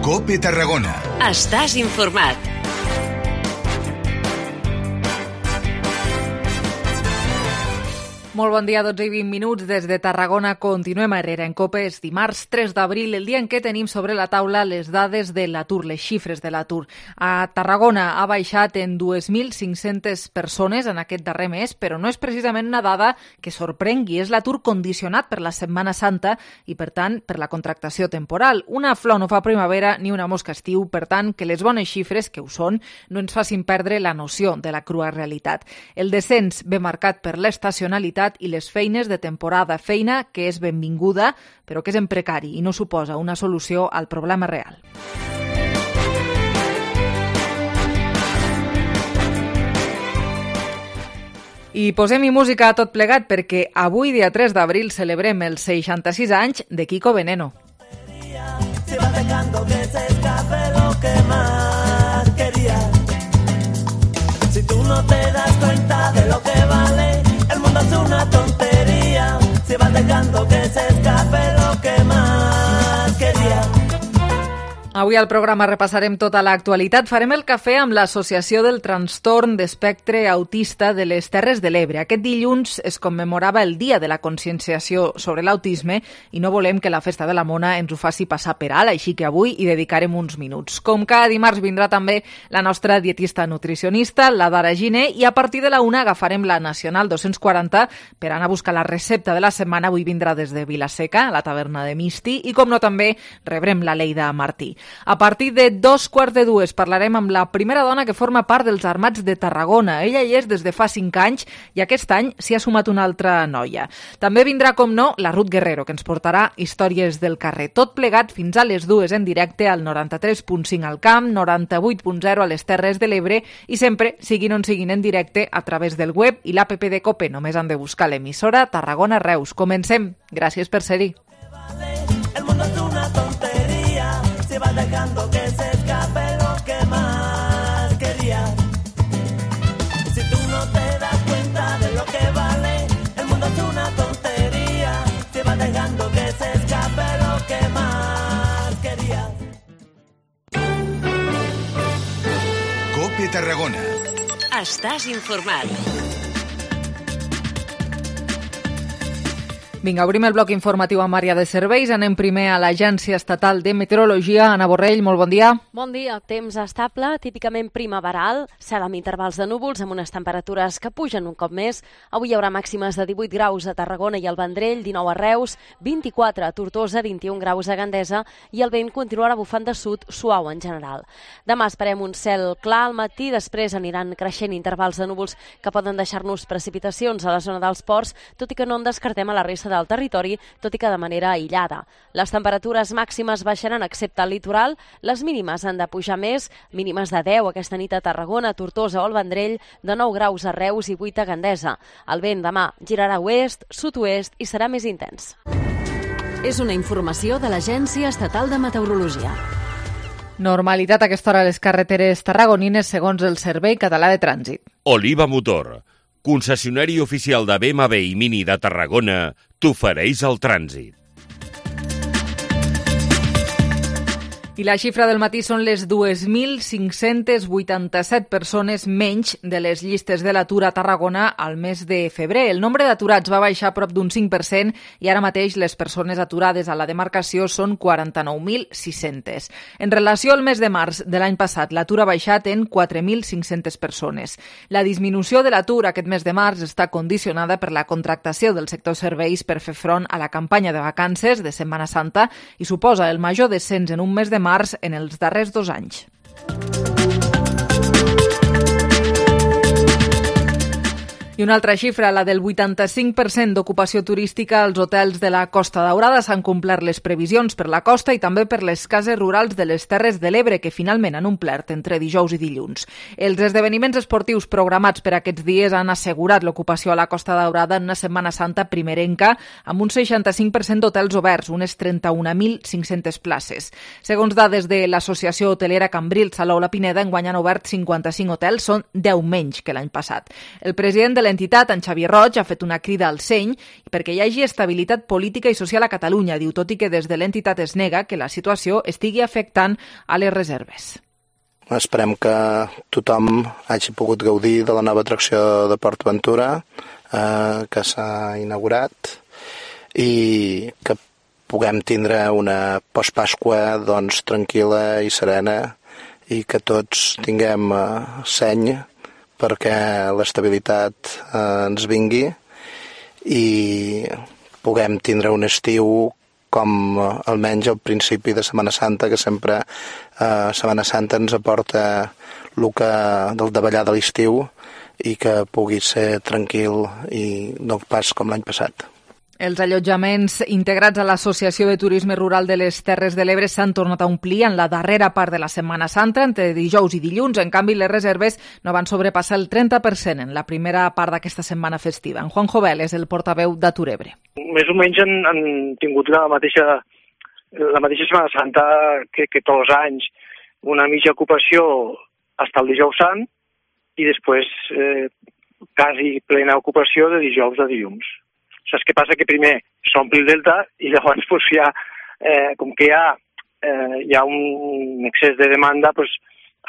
COPE Tarragona. Estàs informat. Molt bon dia, 12 i 20 minuts des de Tarragona. Continuem a Herrera en COPE. És dimarts 3 d'abril, el dia en què tenim sobre la taula les dades de l'atur, les xifres de l'atur. A Tarragona ha baixat en 2.500 persones en aquest darrer mes, però no és precisament una dada que sorprengui. És l'atur condicionat per la Setmana Santa i, per tant, per la contractació temporal. Una flor no fa primavera ni una mosca estiu, per tant, que les bones xifres, que ho són, no ens facin perdre la noció de la crua realitat. El descens ve marcat per l'estacionalitat i les feines de temporada, feina que és benvinguda, però que és en precari i no suposa una solució al problema real. I posem-hi música a tot plegat perquè avui, dia 3 d'abril, celebrem els 66 anys de Kiko Veneno. Se va dejando que se escape lo que más quería. Si tú no te das cuenta de lo que vale, el mundo es una tontería, se va dejando que se escape lo que más quería. Avui al programa repassarem tota l'actualitat. Farem el cafè amb l'Associació del Trastorn d'Espectre Autista de les Terres de l'Ebre. Aquest dilluns es commemorava el Dia de la Conscienciació sobre l'Autisme i no volem que la Festa de la Mona ens ho faci passar per alt, així que avui hi dedicarem uns minuts. Com cada dimarts vindrà també la nostra dietista nutricionista, la Dara Giner, i a partir de la 1 agafarem la Nacional 240 per anar a buscar la recepta de la setmana. Avui vindrà des de Vilaseca, a la taverna de Misti, i com no també rebrem la Leida Martí. A partir de 2:15 parlarem amb la primera dona que forma part dels Armats de Tarragona. Ella hi és des de fa 5 anys i aquest any s'hi ha sumat una altra noia. També vindrà, com no, la Ruth Guerrero, que ens portarà històries del carrer. Tot plegat fins a les 2 en directe al 93.5 al Camp, 98.0 a les Terres de l'Ebre i sempre, siguin on siguin en directe, a través del web i l'APP de COPE. Només han de buscar l'emissora Tarragona Reus. Comencem. Gràcies per ser-hi. El mundo es una tontería, se va dejando que se escape lo que más quería. Si tú no te das cuenta de lo que vale, el mundo es una tontería, se va dejando que se escape lo que más quería. COPE Tarragona. Estàs informat. Vinga, obrim el bloc informatiu amb àrea de serveis. Anem primer a l'Agència Estatal de Meteorologia. Ana Borrell, molt bon dia. Bon dia. Temps estable, típicament primaveral, cel amb intervals de núvols, amb unes temperatures que pugen un cop més. Avui hi haurà màximes de 18 graus a Tarragona i al Vendrell, 19 a Reus, 24 a Tortosa, 21 graus a Gandesa i el vent continuarà bufant de sud, suau en general. Demà esperem un cel clar al matí, després aniran creixent intervals de núvols que poden deixar-nos precipitacions a la zona dels ports, tot i que no en descartem a la resta del territori, tot i que de manera aïllada. Les temperatures màximes baixaran excepte al litoral, les mínimes han de pujar més, mínimes de 10 aquesta nit a Tarragona, Tortosa o al Vendrell, de 9 graus a Reus i 8 a Gandesa. El vent demà girarà oest, sud-oest i serà més intens. És una informació de l'Agència Estatal de Meteorologia. Normalitat a aquesta hora a les carreteres tarragonines segons el Servei Català de Trànsit. Oliva Motor, concessionari oficial de BMW i Mini de Tarragona, t'ofereix el trànsit. I la xifra del matí són les 2.587 persones menys de les llistes de l'atur a Tarragona al mes de febrer. El nombre d'aturats va baixar prop d'un 5% i ara mateix les persones aturades a la demarcació són 49.600. En relació al mes de març de l'any passat, l'atur ha baixat en 4.500 persones. La disminució de l'atur aquest mes de març està condicionada per la contractació del sector serveis per fer front a la campanya de vacances de Setmana Santa i suposa el major descens en un mes de març en els darrers 2 anys. I una altra xifra, la del 85% d'ocupació turística als hotels de la Costa Daurada. S'han complert les previsions per la costa i també per les cases rurals de les Terres de l'Ebre, que finalment han omplert entre dijous i dilluns. Els esdeveniments esportius programats per aquests dies han assegurat l'ocupació a la Costa Daurada en una Setmana Santa primerenca, amb un 65% d'hotels oberts, unes 31.500 places. Segons dades de l'Associació Hotelera Cambrils, Salou La Pineda, enguany han obert 55 hotels, són 10 menys que l'any passat. El president de l'entitat, en Xavier Roig, ha fet una crida al seny perquè hi hagi estabilitat política i social a Catalunya. Diu, tot i que des de l'entitat es nega que la situació estigui afectant a les reserves. Esperem que tothom hagi pogut gaudir de la nova atracció de Port Aventura que s'ha inaugurat i que puguem tindre una postpasqua doncs, tranquil·la i serena i que tots tinguem seny perquè l'estabilitat ens vingui i puguem tindre un estiu com almenys al principi de Setmana Santa, que sempre Setmana Santa ens aporta el que del davallar de l'estiu i que pugui ser tranquil i no pas com l'any passat. Els allotjaments integrats a l'Associació de Turisme Rural de les Terres de l'Ebre s'han tornat a omplir en la darrera part de la Setmana Santa, entre dijous i dilluns. En canvi, les reserves no van sobrepassar el 30% en la primera part d'aquesta setmana festiva. En Juan Jovel és el portaveu d'Atur Ebre. Més o menys han tingut la mateixa Setmana Santa que tots els anys. Una mitja ocupació fins el dijous sant i després quasi plena ocupació de dijous a dilluns. Saps què passa? Que primer s'ompli el delta i llavors com que hi ha un excés de demanda,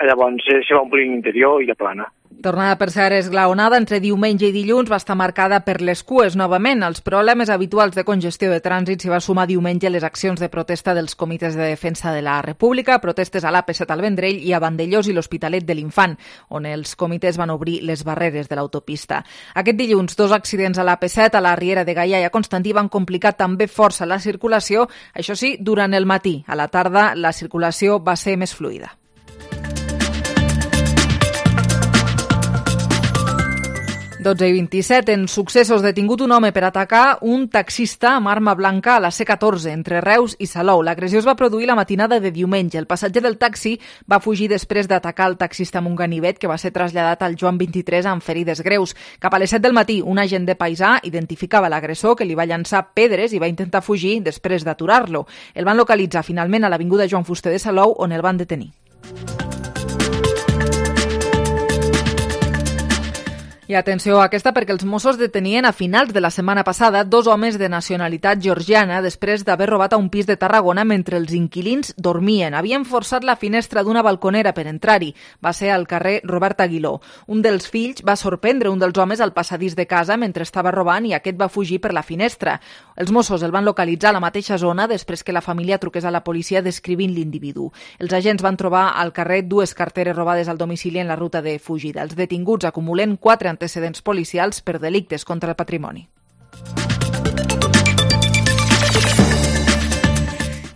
llavors se va omplir l'interior i la plana. Tornada per ser esglaonada entre diumenge i dilluns va estar marcada per les cues novament. Els problemes habituals de congestió de trànsit s'hi va sumar diumenge les accions de protesta dels comitès de defensa de la República, protestes a l'AP7 al Vendrell i a Vandellós i l'Hospitalet de l'Infant, on els comitès van obrir les barreres de l'autopista. Aquest dilluns, 2 accidents a l'AP7, a la Riera de Gaià i a Constantí van complicar també força la circulació, això sí, durant el matí. A la tarda la circulació va ser més fluida. i 27. En successos, detingut un home per atacar un taxista amb arma blanca a la C14 entre Reus i Salou. L'agressió es va produir la matinada de diumenge. El passatger del taxi va fugir després d'atacar el taxista amb un ganivet que va ser traslladat al Joan 23 amb ferides greus. Cap a les 7 del matí, un agent de paisà identificava l'agressor que li va llançar pedres i va intentar fugir després d'aturar-lo. El van localitzar finalment a l'avinguda Joan Fuster de Salou, on el van detenir. I atenció a aquesta perquè els Mossos detenien a finals de la setmana passada 2 homes de nacionalitat georgiana després d'haver robat a un pis de Tarragona mentre els inquilins dormien. Havien forçat la finestra d'una balconera per entrar-hi. Va ser al carrer Robert Aguiló. Un dels fills va sorprendre un dels homes al passadís de casa mentre estava robant i aquest va fugir per la finestra. Els Mossos el van localitzar a la mateixa zona després que la família truqués a la policia descrivint l'individu. Els agents van trobar al carrer 2 carteres robades al domicili en la ruta de fugida. Els detinguts acumulen 4 antecedents policials per delictes contra el patrimoni.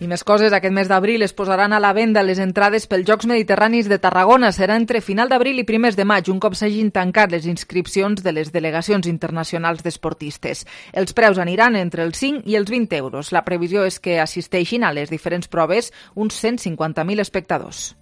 I més coses, aquest mes d'abril es posaran a la venda les entrades pels Jocs Mediterranis de Tarragona. Serà entre final d'abril i primers de maig, un cop s'hagin tancat les inscripcions de les delegacions internacionals d'esportistes. Els preus aniran entre els 5 i els 20 euros. La previsió és que assisteixin a les diferents proves uns 150.000 espectadors.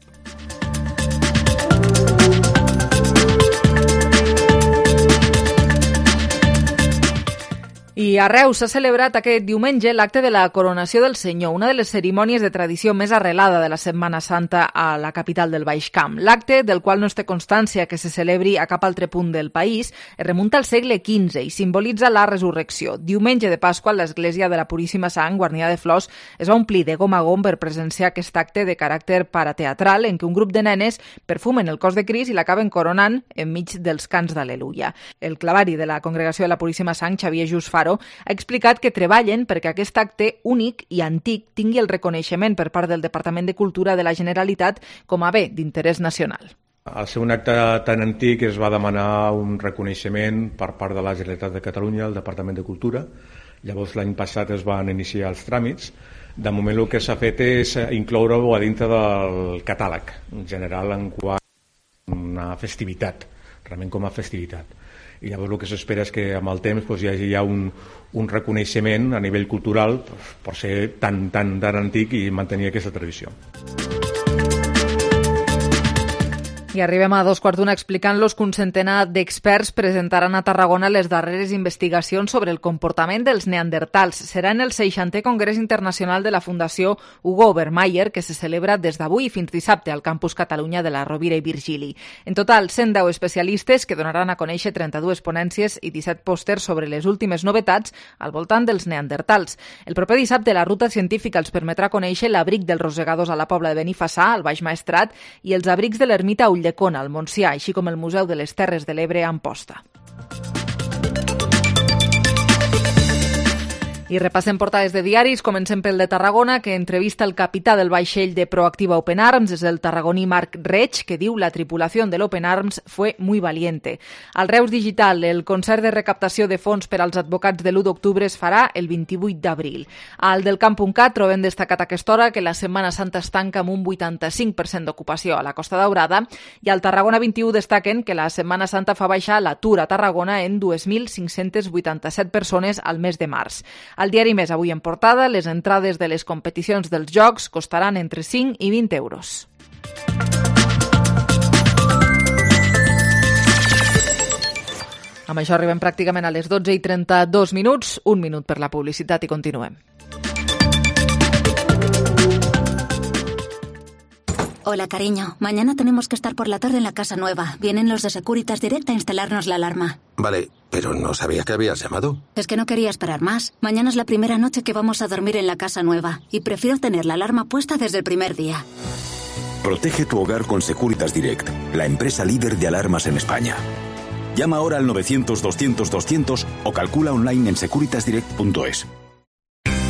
I a Reus s'ha celebrat aquest diumenge l'acte de la coronació del Senyor, una de les cerimònies de tradició més arrelada de la Setmana Santa a la capital del Baix Camp. L'acte, del qual no es té constància que se celebri a cap altre punt del país, es remunta al segle XV i simbolitza la resurrecció. Diumenge de Pasqua, l'església de la Puríssima Sang, guarnida de flors, es va omplir de gom a gom per presenciar aquest acte de caràcter parateatral en què un grup de nenes perfumen el cos de Crist i l'acaben coronant enmig dels cants d'Al·leluia. El clavari de la Congregació de la Puríssima Sang, Xavier Just Faro, ha explicat que treballen perquè aquest acte únic i antic tingui el reconeixement per part del Departament de Cultura de la Generalitat com a bé d'interès nacional. Al ser un acte tan antic es va demanar un reconeixement per part de la Generalitat de Catalunya, el Departament de Cultura. Llavors l'any passat es van iniciar els tràmits. De moment el que s'ha fet és incloure-ho a dintre del catàleg, en general en quant a una festivitat, realment com a festivitat. I llavors el que s'espera és que amb el temps hi hagi ja un reconeixement a nivell cultural per ser tan antic i mantenir aquesta tradició. I arribem a 2:15 explicant-los que un centenar d'experts presentaran a Tarragona les darreres investigacions sobre el comportament dels neandertals. Serà en el 60è Congrés Internacional de la Fundació Hugo Obermeier, que se celebra des d'avui fins dissabte al Campus Catalunya de la Rovira i Virgili. En total, 110 especialistes que donaran a conèixer 32 ponències i 17 pòsters sobre les últimes novetats al voltant dels neandertals. El proper dissabte, la ruta científica els permetrà conèixer l'abric dels rosegadors a la Pobla de Benifassà, al Baix Maestrat, i els abrics de l'ermita Ulldecona, al Montsià, així com el Museu de les Terres de l'Ebre a Amposta. I repassem portades de diaris. Comencem pel de Tarragona, que entrevista el capità del vaixell de Proactiva Open Arms, és el tarragoní Marc Reig, que diu la tripulació de l'Open Arms fue muy valiente. Al Reus Digital, el concert de recaptació de fons per als advocats de l'1 d'octubre es farà el 28 d'abril. Al del Camp.cat trobem destacat a aquesta hora que la Setmana Santa es tanca amb un 85% d'ocupació a la Costa Daurada, i al Tarragona 21 destaquen que la Setmana Santa fa baixar l'atur a Tarragona en 2.587 persones al mes de març. Al diari Més, avui en portada, les entrades de les competicions dels Jocs costaran entre 5 i 20 euros. Amb això arribem pràcticament a les 12:32, un minut per la publicitat i continuem. Hola, cariño. Mañana tenemos que estar por la tarde en la casa nueva. Vienen los de Securitas Direct a instalarnos la alarma. Vale, pero no sabía que habías llamado. Es que no quería esperar más. Mañana es la primera noche que vamos a dormir en la casa nueva y prefiero tener la alarma puesta desde el primer día. Protege tu hogar con Securitas Direct, la empresa líder de alarmas en España. Llama ahora al 900-200-200 o calcula online en securitasdirect.es.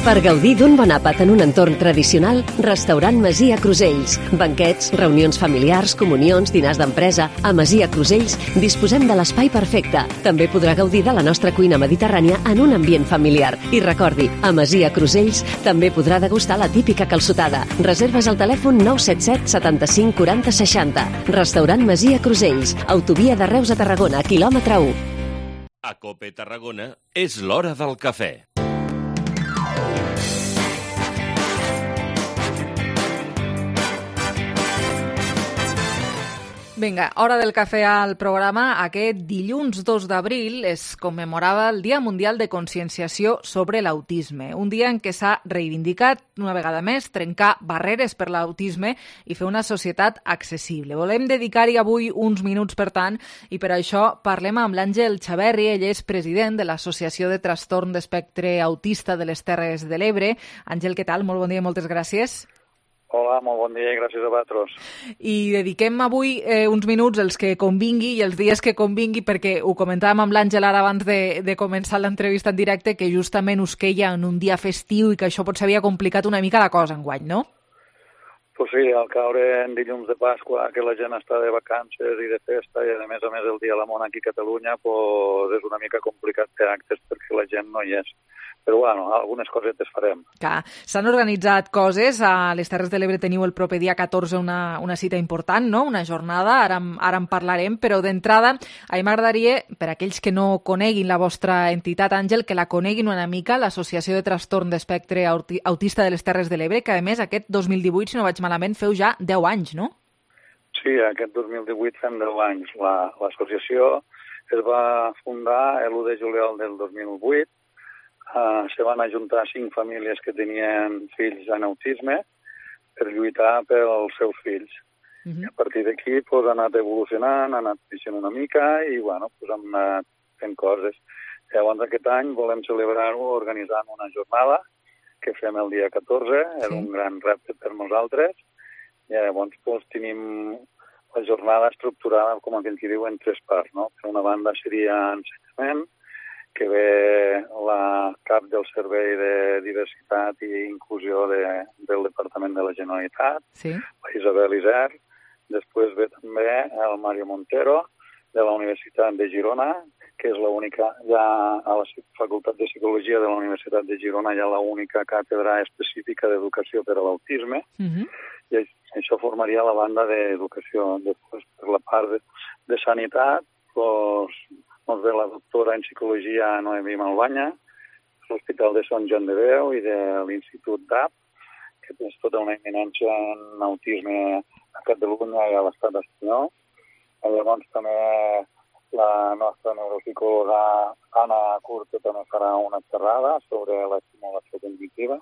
Per gaudir d'un bon àpat en un entorn tradicional, Restaurant Masia Crusells. Banquets, reunions familiars, comunions, dinars d'empresa. A Masia Crusells disposem de l'espai perfecte. També podrà gaudir de la nostra cuina mediterrània en un ambient familiar. I recordi, a Masia Crusells també podrà degustar la típica calçotada. Reserves al telèfon 977 75 40 60. Restaurant Masia Crusells. Autovia de Reus a Tarragona, quilòmetre 1. A COPE Tarragona és l'hora del cafè. Vinga, hora del cafè al programa. Aquest dilluns 2 d'abril es commemorava el Dia Mundial de Conscienciació sobre l'Autisme, un dia en què s'ha reivindicat una vegada més trencar barreres per l'autisme i fer una societat accessible. Volem dedicar-hi avui uns minuts, per tant, i per això parlem amb l'Àngel Xaverri. Ell és president de l'Associació de Trastorn d'Espectre Autista de les Terres de l'Ebre. Àngel, què tal? Molt bon dia i moltes gràcies. Hola, molt bon dia i gràcies a vosaltres. I dediquem avui uns minuts els que convingui i els dies que convingui, perquè ho comentàvem amb l'Àngel ara abans de començar l'entrevista en directe, que justament us queia en un dia festiu i que això potser havia complicat una mica la cosa enguany, no? Pues sí, al caure en dilluns de Pasqua, que la gent està de vacances i de festa, i a més el Dia de la Mona aquí a Catalunya, pues és una mica complicat fer actes perquè la gent no hi és. Però bueno, algunes cosetes farem. Clar, s'han organitzat coses. A les Terres de l'Ebre teniu el proper dia 14 una cita important, no? Una jornada, ara en parlarem, però d'entrada a mi m'agradaria, per aquells que no coneguin la vostra entitat, Àngel, que la coneguin una mica, l'Associació de Trastorn d'Espectre Autista de les Terres de l'Ebre, que a més aquest 2018, si no vaig malament, feu ja 10 anys, no? Sí, aquest 2018 fem 10 anys. L'associació es va fundar l'1 de juliol del 2008. Se van ajuntar 5 famílies que tenien fills amb autisme per lluitar pels seus fills. I a partir d'aquí ha anat evolucionant, ha anat creixent una mica i hem anat fent coses. Llavors aquest any volem celebrar-ho organitzant una jornada que fem el dia 14, és un gran repte per nosaltres. Llavors tenim la jornada estructurada, com aquell que diu, en 3 parts. Per una banda seria ensenyament, que ve la cap del Servei de Diversitat i Inclusió del Departament de la Generalitat, la Isabel Isern. Després ve també el Mario Montero, de la Universitat de Girona, que és l'única, ja a la Facultat de Psicologia de la Universitat de Girona hi ha l'única càtedra específica d'educació per a l'autisme, i això formaria la banda d'educació. Després, per la part de sanitat, ens ve la doctora en psicologia Noemí Malbanya, de l'Hospital de Sant Joan de Déu i de l'Institut DAP, que és tota una eminència en autisme a Catalunya i a l'estat espanyol. Llavors també la nostra neuropsicòloga Anna Curto també farà una xerrada sobre l'estimulació cognitiva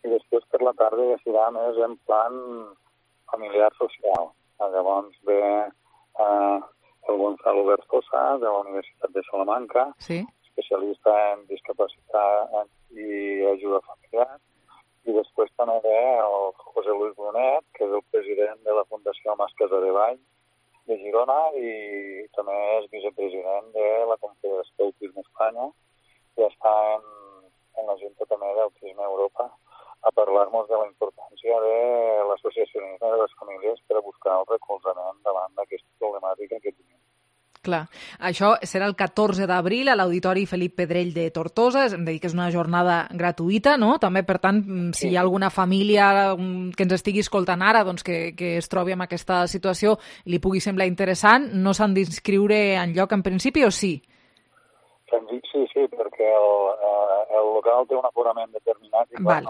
i després per la tarda ja serà més en plan familiar social. Llavors ve el Gonzalo Berzosa de la Universitat de Salamanca, especialista en discapacitat i ajuda familiar, i després també ve el José Luis Brunet, que és el president de la Fundació Mas Casadevall de Girona i també és vicepresident de la Confederació d'Autisme Espanya i està en la Junta també d'Autisme Europa a parlar-nos de la importància de l'associacionisme de les famílies per a buscar el recolzament davant d'aquesta problemàtica que tenim. Clar, això serà el 14 d'abril a l'Auditori Felip Pedrell de Tortosa, hem de dir que és una jornada gratuïta, no? També, per tant, si hi ha alguna família que ens estigui escoltant ara, doncs que es trobi en aquesta situació i li pugui semblar interessant, no s'han d'inscriure enlloc en principi o sí? Sí, perquè el local té un aforament determinat i no ens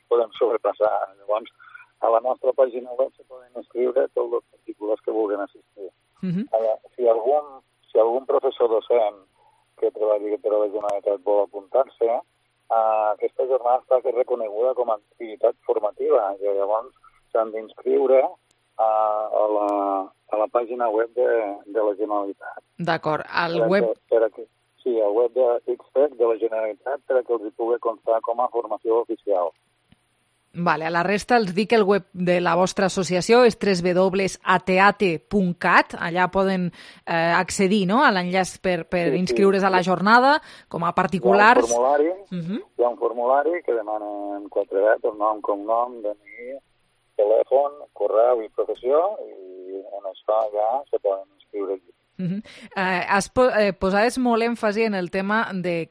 podem sobrepassar. Llavors, a la nostra pàgina web se poden inscriure tots els particulars que vulguin assistir. Si algun professor docent que treballi per a la Generalitat vol apuntar-se, aquesta jornada està reconeguda com a activitat formativa i llavors s'han d'inscriure a la pàgina web de la Generalitat. D'acord, al web... Sí, al web de XFEC de la Generalitat per a que els hi pugui constar com a formació oficial. Vale, a la resta els dic que el web de la vostra associació és www.ateate.cat, allà poden accedir, no?, a l'enllaç per inscriure's a la jornada com a particulars. Hi ha un formulari que demanen 4 dates, nom, cognom, DNI, telèfon, correu i professió, i en això ja se poden inscriure allí. Posaves molt èmfasi en el tema de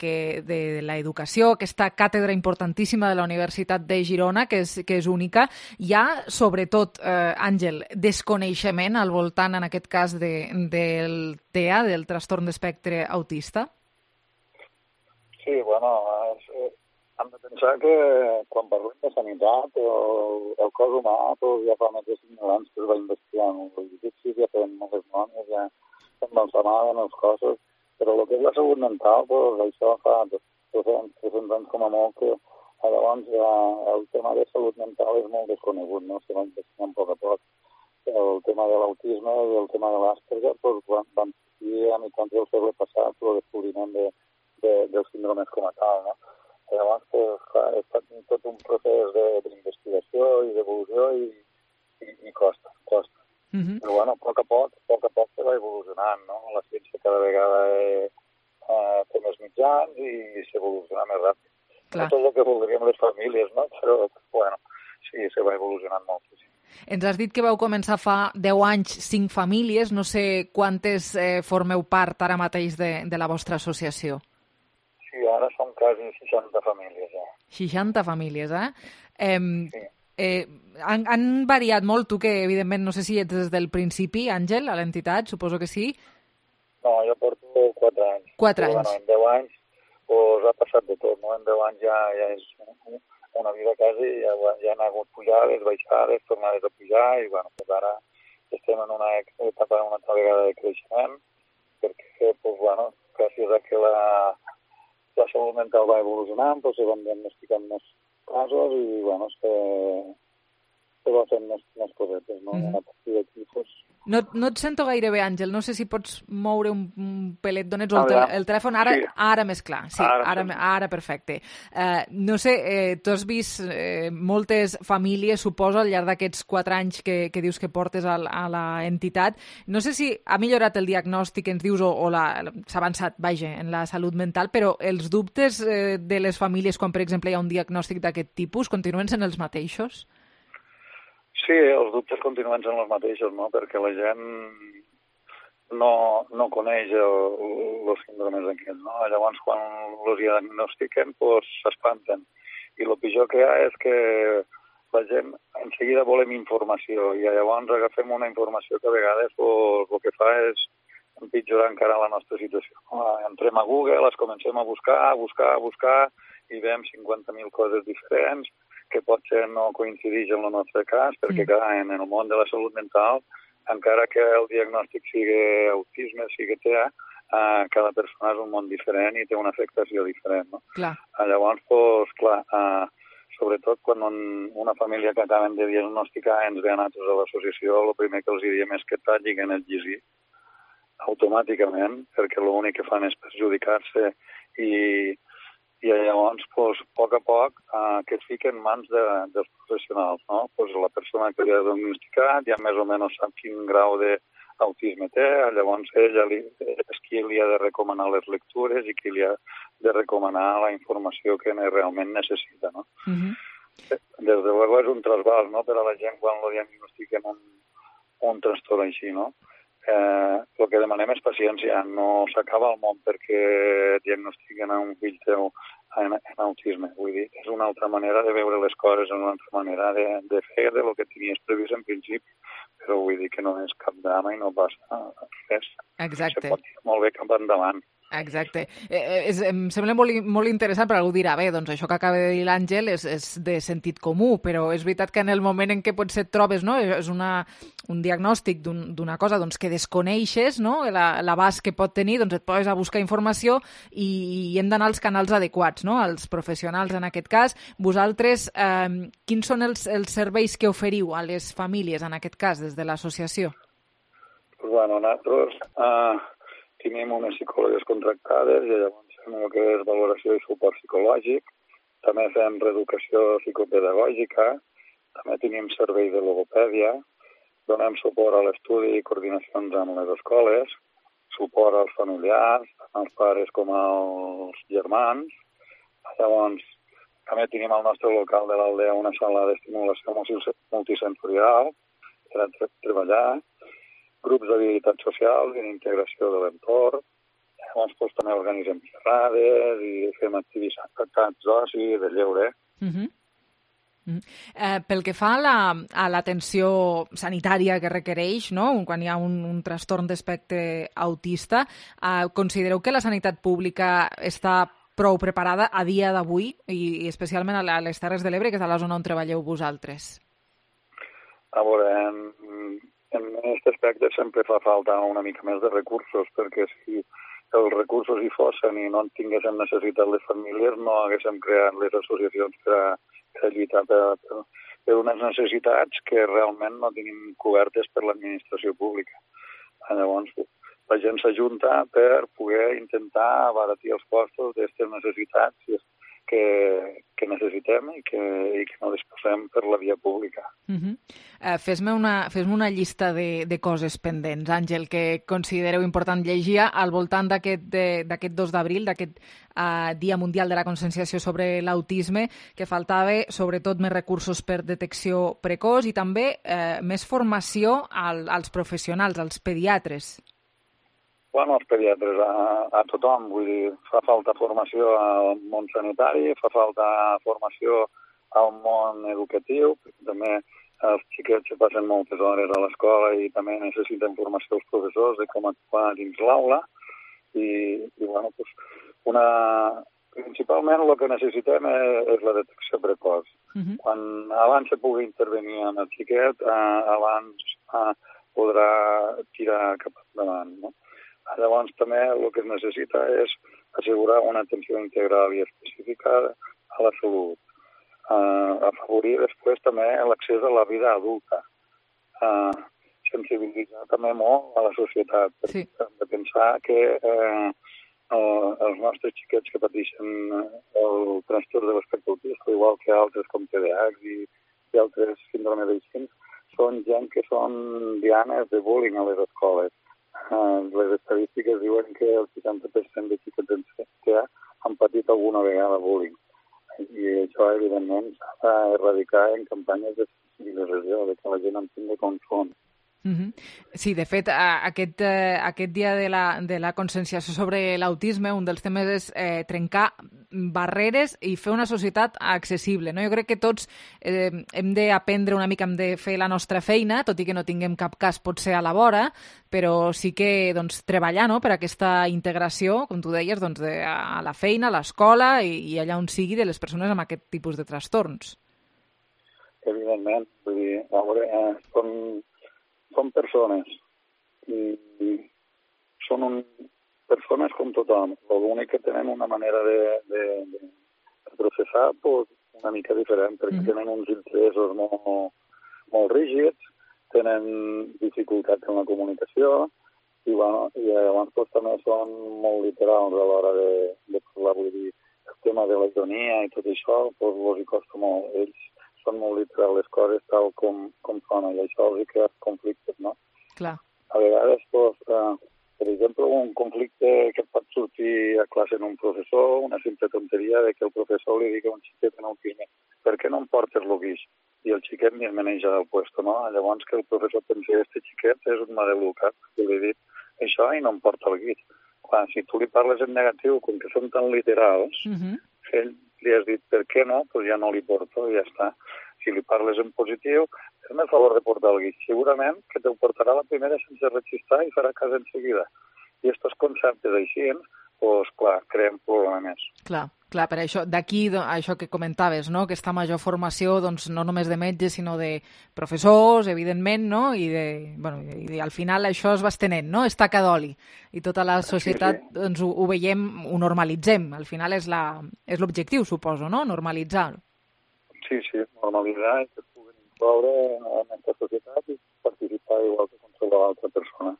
l'educació, aquesta càtedra importantíssima de la Universitat de Girona, que és única. Hi ha, sobretot, Àngel, desconeixement al voltant, en aquest cas, del TEA, del trastorn d'espectre autista? Sí, bueno, hem de pensar que quan parlem de sanitat, el cos humà ja fa més de 5.000 anys que es va investigant. Sí, ja fem moltes noms, ja s'embalsamaven els cossos, però el que és la salut mental, això fa 300 anys com a molt, que llavors el tema de salut mental és molt desconegut, no? Se va investigant a poc. El tema de l'autisme i el tema de l'Asperger van sortir a mitjans del segle passat el descobriment dels síndromes com a tal, no? Llavors ha estat tot un procés d'investigació i d'evolució i costa. Però bueno, a poc a poc se va evolucionant, no? La ciència cada vegada té més mitjans i s'evoluciona més ràpid. No tot el que voldríem les famílies, no? Però, bueno, sí, se va evolucionant moltíssim. Ens has dit que vau començar fa 10 anys 5 famílies, no sé quantes formeu part ara mateix de la vostra associació. Sí, ara som quasi 60 famílies, ja. 60 famílies, Sí. Han variat molt, tu que evidentment no sé si ets des del principi, Àngel, a l'entitat, suposo que sí? No, jo porto 4 anys. 4 anys. Bueno, en 10 anys ha passat de tot, no? En 10 anys ja és una vida quasi, ja han hagut pujades, baixades, tornades a pujar i bueno, pues ara estem en una etapa una altra vegada de creixement perquè, pues bueno, gràcies a que la salut mental va evolucionant, pues se van diagnosticant més casos i, bueno, se va fent més cosetes, no? A partir d'aquí, pues... No et sento gaire bé, Àngel. No sé si pots moure un pelet d'on ets o el telèfon. Ara més clar. Sí, ara perfecte. No sé, tu has vist moltes famílies, suposo, al llarg d'aquests 4 anys que dius que portes a l'entitat. No sé si ha millorat el diagnòstic, ens dius, o s'ha avançat, vaja, en la salut mental, però els dubtes de les famílies quan, per exemple, hi ha un diagnòstic d'aquest tipus continuen sent els mateixos? Sí, els dubtes continuen sent els mateixos, no? Perquè la gent no coneix els síndromes aquests, no? Llavors, quan els diagnostiquen, s'espanten. I el pitjor que hi ha és que la gent en seguida volem informació i llavors agafem una informació que a vegades el que fa és empitjorar encara la nostra situació. Entrem a Google, les comencem a buscar i veiem 50.000 coses diferents que potser no coincideix en el nostre cas, perquè clar, en el món de la salut mental encara que el diagnòstic sigui autisme, sigui TEA, cada persona és un món diferent i té una afectació diferent, no? Clar. Llavors, doncs, clar, sobretot quan una família que acaben de diagnosticar ens ve a nosaltres a l'associació, el primer que els diem és que tallin el llegir automàticament, perquè l'únic que fan és perjudicar-se i llavors, doncs, a poc, que es fiquen en mans dels professionals, no? Doncs la persona que li ha diagnosticat ja més o menys sap quin grau d'autisme té, llavors ella és qui li ha de recomanar les lectures i qui li ha de recomanar la informació que realment necessita, no? Des de luego és un trasbals, no?, per a la gent quan lo diagnostiquen un trastorn així, no? El que demanem és paciència, no s'acaba el món perquè diagnostiquen a un fill teu en autisme. Vull dir, és una altra manera de veure les coses, és una altra manera de fer de lo que tenies previst en principi, però vull dir que no és cap drama i no passa res. Exacte. Se pot ir molt bé cap endavant. Exacte. Em sembla molt interessant, però algú dirà, bé, doncs això que acaba de dir l'Àngel és de sentit comú, però és veritat que en el moment en què potser et trobes, no?, és un diagnòstic d'una cosa doncs, que desconeixes, no?, l'abast que pot tenir, doncs et poses a buscar informació i hem d'anar als canals adequats, no?, als professionals en aquest cas. Vosaltres, quins són els serveis que oferiu a les famílies, en aquest cas, des de l'associació? Bueno, nosaltres tenim unes psicòlogues contractades i llavors fem el que és valoració i suport psicològic. També fem reeducació psicopedagògica. També tenim servei de logopèdia. Donem suport a l'estudi i coordinacions amb les escoles. Suport als familiars, tant als pares com als germans. Llavors, també tenim al nostre local de l'aldea una sala d'estimulació multisensorial per a treballar, grups d'habilitat social i d'integració de l'entorn. Llavors, també organitzem xerrades i fem activitats d'oci, de lleure. Pel que fa a l'atenció sanitària que requereix, no?, quan hi ha un trastorn d'espectre autista, considereu que la sanitat pública està prou preparada a dia d'avui i especialment a les Terres de l'Ebre, que és a la zona on treballeu vosaltres? A veure, en aquest aspecte sempre fa falta una mica més de recursos, perquè si els recursos hi fossin i no en tinguéssim necessitat les famílies, no haguéssim creat les associacions per a lluitar per unes necessitats que realment no tenim cobertes per l'administració pública. Llavors, la gent s'ajunta per poder intentar abaratir els costos d'aquestes necessitats que necessitem i que no disposem per la via pública. Fes-me una llista de coses pendents, Àngel, que considereu important llegir al voltant d'aquest 2 d'abril, d'aquest Dia Mundial de la Conscienciació sobre l'Autisme, que faltava sobretot més recursos per detecció precoç i també més formació als professionals, als pediatres. Bueno, els pediatres, a tothom, vull dir, fa falta formació al món sanitari, fa falta formació al món educatiu, perquè també els xiquets se passen moltes hores a l'escola i també necessiten formació als professors de com actuar dins l'aula i bueno, principalment el que necessitem és la detecció precoç. Quan abans se pugui intervenir amb el xiquet, abans podrà tirar cap endavant, no? Llavors també el que es necessita és assegurar una atenció integral i específica a la salut. Afavorir després també l'accés a la vida adulta. Sensibilitzar també molt a la societat. Sí. Hem de pensar que els nostres xiquets que pateixen el trastorn de l'espectre autista, igual que altres com TDAH i altres síndromes d'Eixin, són gent que són dianes de bullying a les escoles. Les estadístiques diuen que el 60% de xiquets en TEA han patit alguna vegada bullying. I això, evidentment, s'ha d'erradicar en campanyes de sensibilització, de que la gent entengui com són. Sí, de fet, aquest dia de la conscienciació sobre l'autisme, un dels temes és trencar barreres i fer una societat accessible, no? Jo crec que tots hem d'aprendre una mica, hem de fer la nostra feina, tot i que no tinguem cap cas potser a la vora, però sí que treballar, no?, per aquesta integració, com tu deies, a la feina, a l'escola i allà on sigui de les persones amb aquest tipus de trastorns. Evidentment, vull dir, a veure, són són persones i són persones com tothom. L'únic que tenen una manera de processar una mica diferent, perquè tenen uns interessos molt rígids, tenen dificultats en la comunicació i llavors també són molt literals a l'hora de parlar. Vull dir, el tema de la ironia i tot això, els hi costa molt. Ells són molt literals les coses tal com són, i això els hi crea conflictes, no? Clar. A vegades, per exemple, un conflicte que pot sortir a classe en un professor, una simple tonteria de que el professor li digui a un xiquet en autisme per què no em portes el guix? I el xiquet ni es maneja del puesto, no? Llavors que el professor pensi que este xiquet és un maleducat, que li he dit això i no em porta el guix. Clar, si tu li parles en negatiu, com que són tan literals, ell li has dit per què no, doncs ja no li porto i ja està. Si li parles en positiu, fes-me el favor de portar el guix. Segurament que te'l portarà la primera sense rechistar i farà cas en seguida. I aquests conceptes així, doncs, clar, creen problemes. Clar, per això, d'aquí això que comentaves, no? Aquesta major formació, doncs, no només de metges, sinó de professors, evidentment, no? I al final això es va estenent, no? És taca d'oli. I tota la societat, doncs, ho veiem, ho normalitzem. Al final és l'objectiu, suposo, no? Normalitzar-ho. Sí, normalitzar i que es puguin incloure en aquesta societat i participar igual que qualsevol altra persona.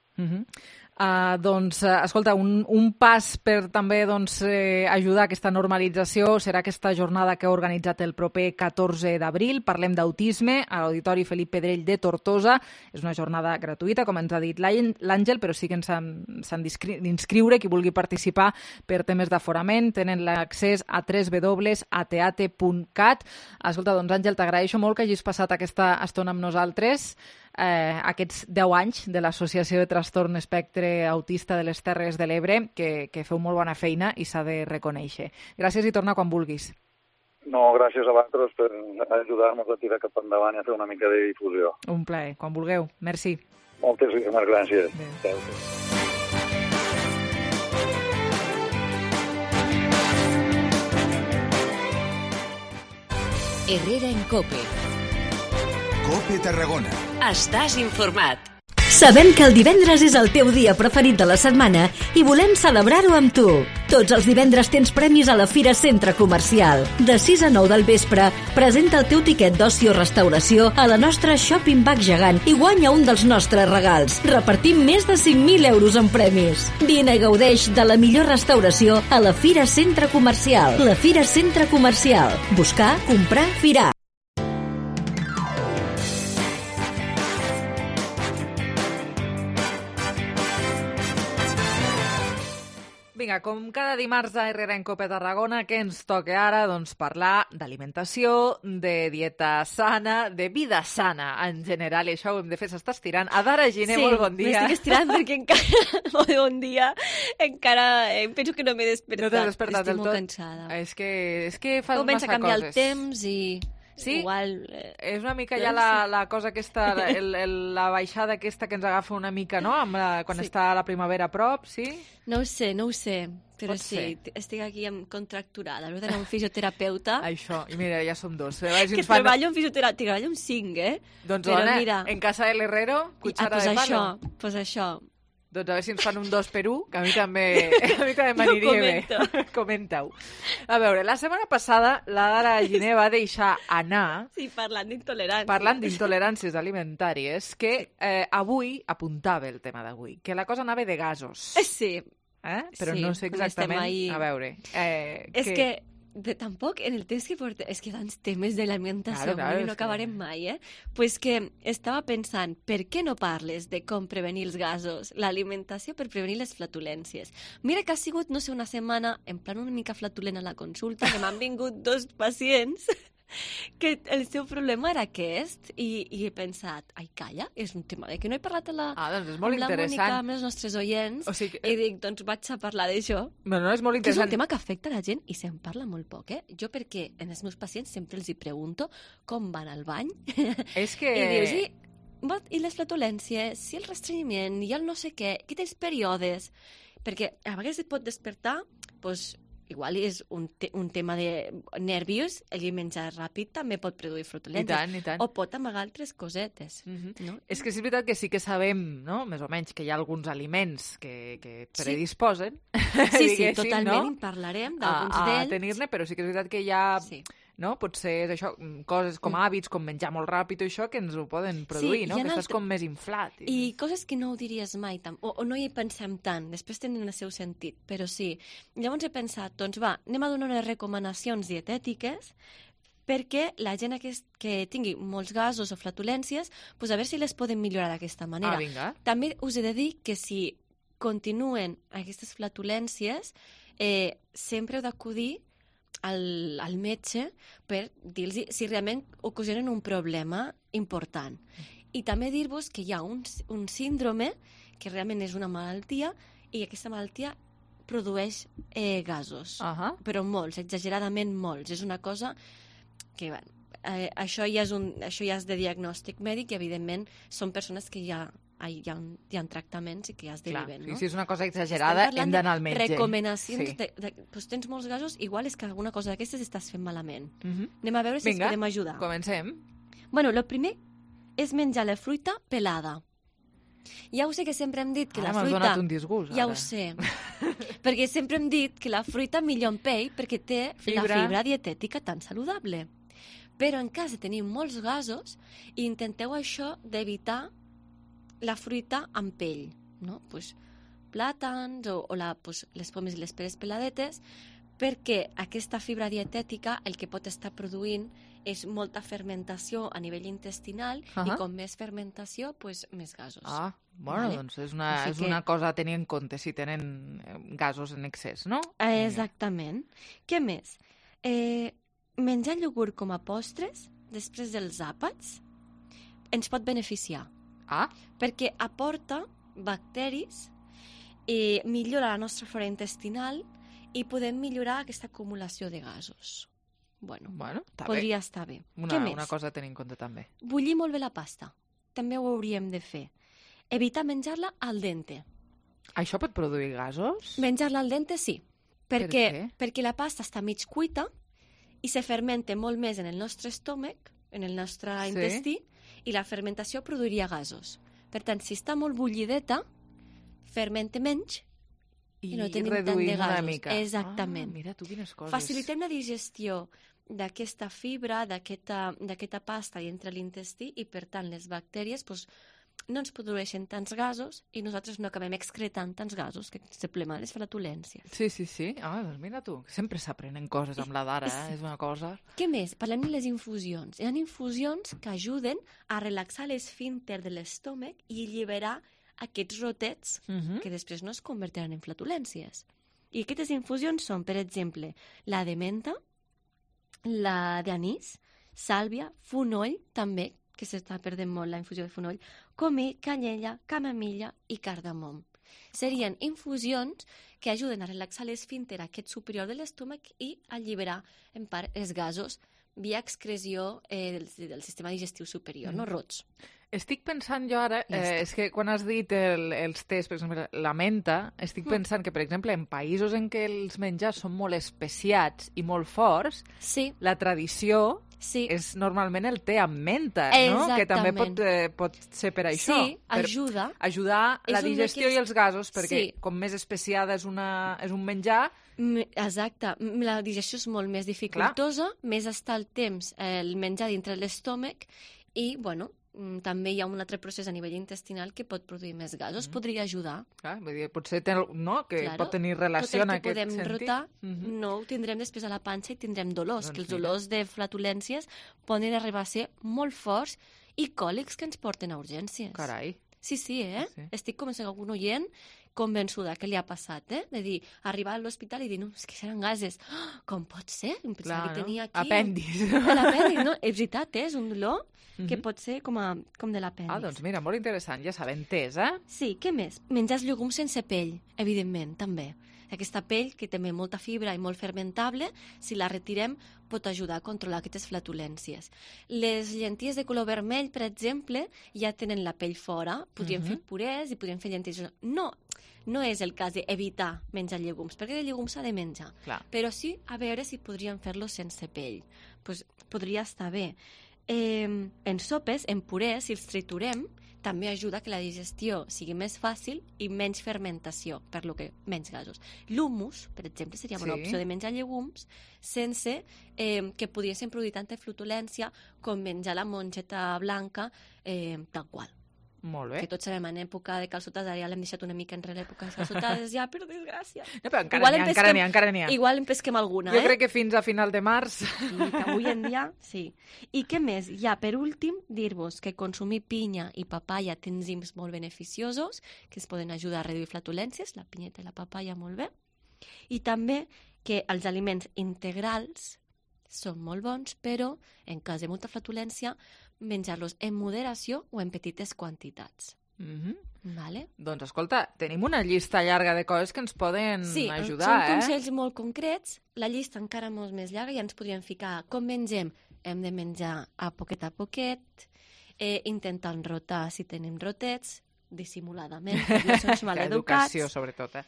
Doncs, escolta, un pas per també ajudar a aquesta normalització serà aquesta jornada que ha organitzat el proper 14 d'abril. Parlem d'autisme a l'Auditori Felip Pedrell de Tortosa. És una jornada gratuïta, com ens ha dit l'Àngel, però sí que s'han d'inscriure qui vulgui participar per temes d'aforament. Tenen l'accés a www.ateate.cat. Escolta, doncs, Àngel, t'agraeixo molt que hagis passat aquesta estona amb nosaltres. Aquests 10 anys de l'Associació de Trastorn Espectre Autista de les Terres de l'Ebre, que feu molt bona feina i s'ha de reconèixer. Gràcies i torna quan vulguis. No, gràcies a vosaltres per ajudar-nos a tirar cap endavant i a fer una mica de difusió. Un plaer, quan vulgueu. Merci. Moltíssimes gràcies. Adéu. Herrera en COPE. COPE Tarragona. Estàs informat. Sabem que el divendres és el teu dia preferit de la setmana i volem celebrar-ho amb tu. Tots els divendres tens premis a la Fira Centre Comercial. De 6 a 9 del vespre, presenta el teu tiquet d'oci o restauració a la nostra Shopping Bag gegant i guanya un dels nostres regals. Repartim més de 5.000 euros en premis. Vine i gaudeix de la millor restauració a la Fira Centre Comercial. La Fira Centre Comercial. Buscar, comprar, firar. Vinga, com cada dimarts a Herrera en COPE Tarragona, què ens toca ara? Doncs parlar d'alimentació, de dieta sana, de vida sana en general, i això ho hem de fer, s'està estirant. Adara Giner, molt bon dia. Sí, m'estic estirant perquè encara, molt bon dia, encara penso que no m'he despertat. No t'has despertat del tot? Estic molt cansada. És que fas massa coses. Comença a canviar el temps i... Sí? Igual, és una mica ja la cosa aquesta, la baixada aquesta que ens agafa una mica, no? Quan està la primavera a prop, sí? No ho sé, però sí, estic aquí contracturada. Hauré d'anar a un fisioterapeuta. Això, i mira, ja som dos. Que treballo en fisioterapeuta, treballo en 5, Doncs dona, en casa de l'Herrero, cuchara de palo. Pues això. Doncs a veure si ens fan un 2 per 1, que a mi també m'aniria bé. Comenta-ho. A veure, la setmana passada la Dara Giner va deixar anar... Sí, parlant d'intoleràncies. Parlant d'intoleràncies alimentàries, que avui apuntava el tema d'avui, que la cosa anava de gasos. Sí. Però no sé exactament... A veure... És que... tampoc en el temps que portem... És que tants temes de l'alimentació, no acabarem mai, Pues que estava pensant, per què no parles de com prevenir els gasos, l'alimentació per prevenir les flatulències? Mira que ha sigut, no sé, una setmana en plan una mica flatulent a la consulta, que m'han vingut 2 pacients que el seu problema era aquest i he pensat, ai, calla, és un tema de que no he parlat amb la Mònica, amb els nostres oients, i dic, doncs vaig a parlar d'això. No, és molt interessant. Que és un tema que afecta la gent i se'n parla molt poc, Jo perquè en els meus pacients sempre els hi pregunto com van al bany. És que... I dius, i les flatulències, i el restrenyiment, i el no sé què, que tens períodes, perquè a vegades et pot despertar, doncs, igual és un tema de nerviós, el menjar ràpid també pot produir flatulències. I tant. O pot amagar altres cosetes. No? És que és veritat que sí que sabem, no?, més o menys, que hi ha alguns aliments que predisposen, sí, totalment, en parlarem d'alguns d'ells. A tenir-ne, però sí que és veritat que hi ha... No? Potser és això, coses com hàbits, com menjar molt ràpid o això, que ens ho poden produir, no? Que estàs com més inflat. I coses que no ho diries mai, o no hi pensem tant, després tenen el seu sentit, però sí. Llavors he pensat, doncs va, anem a donar unes recomanacions dietètiques perquè la gent que tingui molts gasos o flatulències, doncs a veure si les poden millorar d'aquesta manera. Vinga. També us he de dir que si continuen aquestes flatulències, sempre heu d'acudir al metge per dir-los si realment ocasionen un problema important. I també dir-vos que hi ha un síndrome que realment és una malaltia i aquesta malaltia produeix gasos, però molts, exageradament molts. És una cosa que, això ja és de diagnòstic mèdic i, evidentment, són persones que hi ha tractaments i que ja es deriven, no? Si és una cosa exagerada, hem d'anar al metge. Recomanacions doncs tens molts gasos, igual és que alguna cosa d'aquestes estàs fent malament. Anem a veure si ens podem ajudar. Comencem. Bueno, el primer és menjar la fruita pelada. Ja ho sé que sempre hem dit que la fruita... M'has donat un disgust, ara. Ja ho sé. Perquè sempre hem dit que la fruita millor en pell perquè té la fibra dietètica tan saludable. Però en cas de tenir molts gasos, intenteu això d'evitar la fruita amb pell, no? Pues, plàtans o les pomes i les peres peladetes, perquè aquesta fibra dietètica el que pot estar produint és molta fermentació a nivell intestinal i com més fermentació, pues, més gasos. Doncs és una cosa a tenir en compte si tenen gasos en excés, no? Exactament. Què més? Menjar iogurt com a postres després dels àpats ens pot beneficiar. Perquè aporta bacteris i millora la nostra flora intestinal i podem millorar aquesta acumulació de gasos. Bueno, podria estar bé. Què més? Una cosa a tenir en compte també. Bullir molt bé la pasta. També ho hauríem de fer. Evitar menjar-la al dente. Això pot produir gasos? Menjar-la al dente, sí. Perquè la pasta està mig cuita i se fermenta molt més en el nostre estómac, en el nostre intestí, i la fermentació produiria gasos. Per tant, si està molt bullideta, fermenta menys i no tenim tant de gasos. Una mica. Exactament. Mira tu quines coses. Facilitem la digestió d'aquesta fibra, d'aquesta pasta i entre l'intestí i, per tant, les bactèries no ens produeixen tants gasos i nosaltres no acabem excretant tants gasos, que se plemen les flatulències. Sí. Doncs mira tu, sempre s'aprenen coses amb la d'ara, és una cosa... Què més? Parlem de les infusions. Hi ha infusions que ajuden a relaxar l'esfínter de l'estómac i alliberar aquests rotets que després no es convertiran en flatulències. I aquestes infusions són, per exemple, la de menta, la d'anís, sàlvia, fonoll, també, que s'està perdent molt la infusió de fonoll, comí, canyella, camamilla i cardamom. Serien infusions que ajuden a relaxar l'esfínter aquest superior de l'estómac i alliberar, en part, els gasos via excreció del sistema digestiu superior, no rots. Estic pensant jo ara, és que quan has dit els tés, per exemple, la menta, estic pensant que, per exemple, en països en què els menjars són molt especiats i molt forts, la tradició és normalment el té amb menta, no? Que també pot ser per això. Sí, ajuda. Ajudar la digestió i els gasos, perquè com més especiada és un menjar... Exacte. La digestió és molt més dificultosa, més està el temps el menjar dintre l'estómac i, bueno, també hi ha un altre procés a nivell intestinal que pot produir més gasos, podria ajudar. Vull dir, potser pot tenir relació en aquest sentit. Tot el que podem rotar no ho tindrem després a la panxa i tindrem dolors, que els dolors de flatulències poden arribar a ser molt forts i còlics que ens porten a urgències. Carai. Sí, estic com si algun oient convençuda que li ha passat, de dir, arribar a l'hospital i dir, no, és que seran gases. Com pot ser? Em pensava que tenia aquí... Apèndix. L'apèndix, no? És veritat, és un dolor que pot ser com de l'apèndix. Doncs mira, molt interessant, ja sabem, tés, Sí, què més? Menjar llegums sense pell, evidentment, també. Aquesta pell, que té molta fibra i molt fermentable, si la retirem, pot ajudar a controlar aquestes flatulències. Les llenties de color vermell, per exemple, ja tenen la pell fora. Podríem fer purés i podríem fer llenties... No, no és el cas d'evitar menjar llegums, perquè de llegums s'ha de menjar. Clar. Però sí a veure si podríem fer-lo sense pell. Pues podria estar bé. En sopes, en purés, si els triturem, també ajuda que la digestió sigui més fàcil i menys fermentació, per lo que menys gasos. L'humus, per exemple, seria una opció de menjar llegums sense que pudiesen produir tanta flutulència com menjar la mongeta blanca tal qual. Molt bé. Que tots sabem, en època de calçotades, ara ja l'hem deixat una mica enrere l'època de calçotades, ja, per desgràcia. No, però encara n'hi ha. Igual en pesquem alguna, Jo crec que fins a final de març. I que avui en dia, sí. I què més? Ja, per últim, dir-vos que consumir pinya i papaya té enzims molt beneficiosos que es poden ajudar a reduir flatulències, la pinyeta i la papaya molt bé. I també que els aliments integrals són molt bons, però en cas de molta flatulència menjar-los en moderació o en petites quantitats. Vale? Doncs escolta, tenim una llista llarga de coses que ens poden ajudar, són consells molt concrets, la llista encara molt més llarga, ja ens podríem ficar com mengem. Hem de menjar a poquet, intentant rotar si tenim rotets, dissimuladament, no som maleducats. L'educació, sobretot,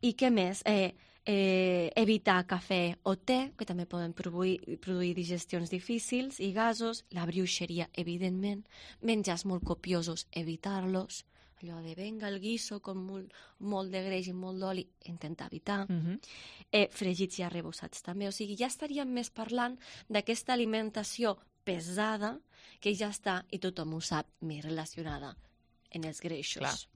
I què més? Evitar cafè o te, que també poden produir digestions difícils i gasos, la bruixeria, evidentment, menjars molt copiosos, evitar-los, allò de venga el guiso con molt de greix i molt d'oli, intentar evitar, fregits i arrebossats també, o sigui, ja estaríem més parlant d'aquesta alimentació pesada que ja està, i tothom ho sap, més relacionada en els greixos.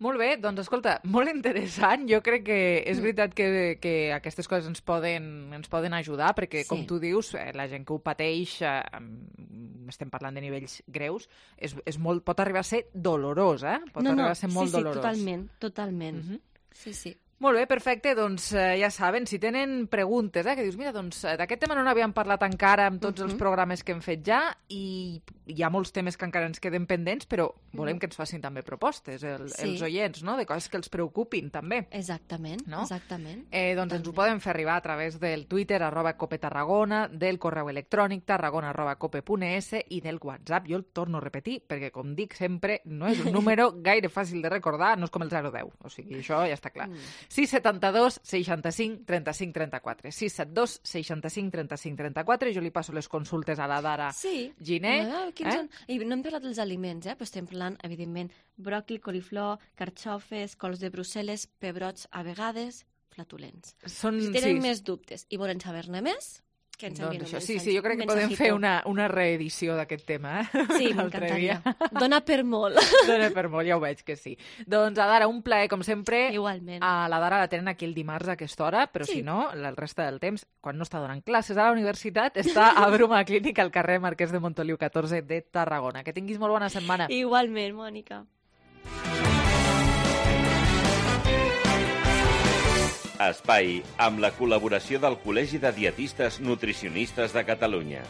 Molt bé, doncs escolta, molt interessant. Jo crec que és veritat que aquestes coses ens poden ajudar, perquè, com tu dius, la gent que ho pateix, estem parlant de nivells greus, pot arribar a ser dolorós, Pot arribar a ser molt dolorós. Totalment. Sí. Molt bé, perfecte. Doncs ja saben, si tenen preguntes, que dius, mira, doncs d'aquest tema no n'havíem parlat encara amb tots els programes que hem fet ja, i hi ha molts temes que encara ens queden pendents, però volem que ens facin també propostes, els oients, no?, de coses que els preocupin, també. Exactament. Doncs ens ho poden fer arribar a través del Twitter, @copetarragona, del correu electrònic tarragona@cope.es i del WhatsApp. Jo el torno a repetir, perquè, com dic sempre, no és un número gaire fàcil de recordar, no és com el 010, o sigui, això ja està clar. 672 65 35 34. 672 65 35 34. Jo li passo les consultes a la Dara Giner. I no hem parlat dels aliments, però estem parlant, evidentment, bròquil, coliflor, carxofes, cols de Brussel·les, pebrots, a vegades, flatulents. Si tenen més dubtes i volen saber-ne més, que ens envien un missatge. Sí, jo crec que podem fer una reedició d'aquest tema. Sí, m'encantaria. Dona per molt. Dona per molt, ja ho veig que sí. Doncs, Dara, un plaer, com sempre. Igualment. A la Dara la tenen aquí el dimarts a aquesta hora, però si no, el resta del temps, quan no està donant classes a la universitat, està a Bruma Clínica, al carrer Marquès de Montoliu 14 de Tarragona. Que tinguis molt bona setmana. Igualment, Mònica. Espai, amb la col·laboració del Col·legi de Dietistes Nutricionistes de Catalunya.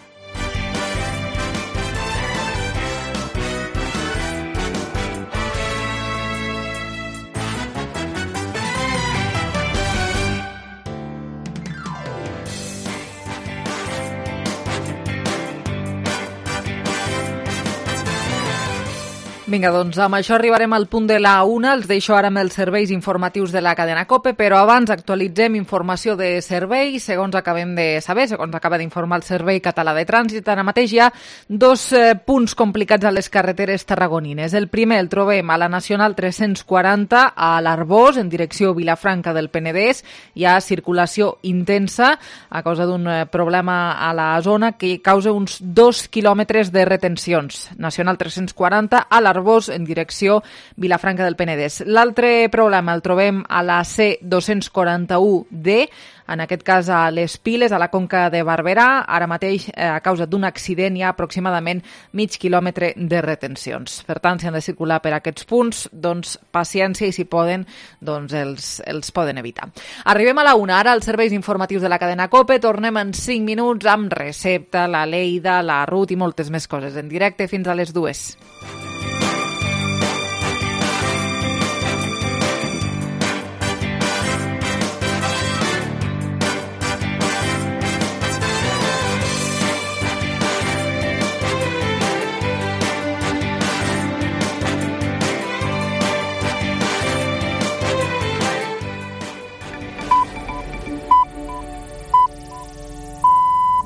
Vinga, doncs amb això arribarem al punt de la 1. Els deixo ara amb els serveis informatius de la cadena COPE, però abans actualitzem informació de serveis. Segons acabem de saber, segons acaba d'informar el Servei Català de Trànsit, ara mateix hi ha dos punts complicats a les carreteres tarragonines. El primer el trobem a la Nacional 340 a l'Arbós, en direcció Vilafranca del Penedès. Hi ha circulació intensa a causa d'un problema a la zona que causa uns 2 quilòmetres de retencions. Nacional 340 a l'Arbós, en direcció Vilafranca del Penedès. L'altre problema el trobem a la C241D, en aquest cas a les Piles, a la Conca de Barberà. Ara mateix, a causa d'un accident, hi ha aproximadament mig quilòmetre de retencions. Per tant, si han de circular per aquests punts, doncs paciència, i si poden, doncs els poden evitar. Arribem a la 1, ara als serveis informatius de la cadena COPE. Tornem en 5 minuts amb Recepta, la Leida, la Ruth i moltes més coses. En directe fins a les 2.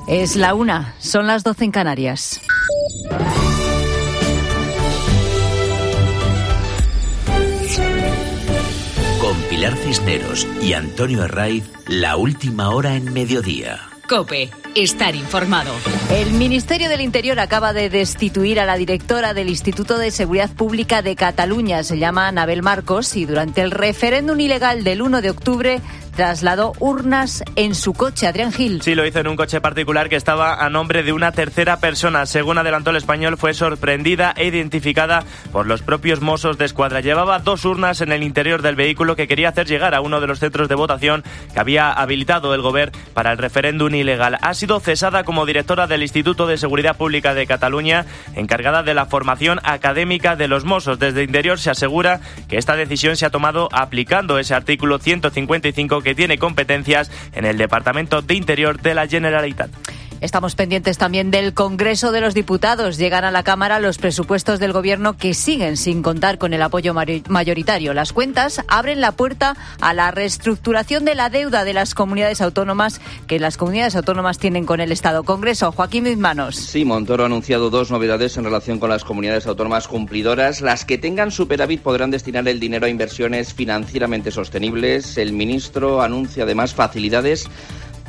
Es la 1, son las 12 en Canarias. Con Pilar Cisneros y Antonio Herraiz, la última hora en Mediodía. COPE, estar informado. El Ministerio del Interior acaba de destituir a la directora del Instituto de Seguridad Pública de Cataluña. Se llama Anabel Marcos y durante el referéndum ilegal del 1 de octubre trasladó urnas en su coche. Adrián Gil. Sí, lo hizo en un coche particular que estaba a nombre de una tercera persona. Según adelantó El Español, fue sorprendida e identificada por los propios Mossos de Escuadra. Llevaba 2 urnas en el interior del vehículo que quería hacer llegar a uno de los centros de votación que había habilitado el Govern para el referéndum ilegal. Ha sido cesada como directora del Instituto de Seguridad Pública de Cataluña, encargada de la formación académica de los Mossos. Desde Interior se asegura que esta decisión se ha tomado aplicando ese artículo 155 que tiene competencias en el Departamento de Interior de la Generalitat. Estamos pendientes también del Congreso de los Diputados. Llegan a la Cámara los presupuestos del Gobierno que siguen sin contar con el apoyo mayoritario. Las cuentas abren la puerta a la reestructuración de la deuda de las comunidades autónomas que las comunidades autónomas tienen con el Estado. Congreso, Joaquín Mismanos. Sí, Montoro ha anunciado 2 novedades en relación con las comunidades autónomas cumplidoras. Las que tengan superávit podrán destinar el dinero a inversiones financieramente sostenibles. El ministro anuncia además facilidades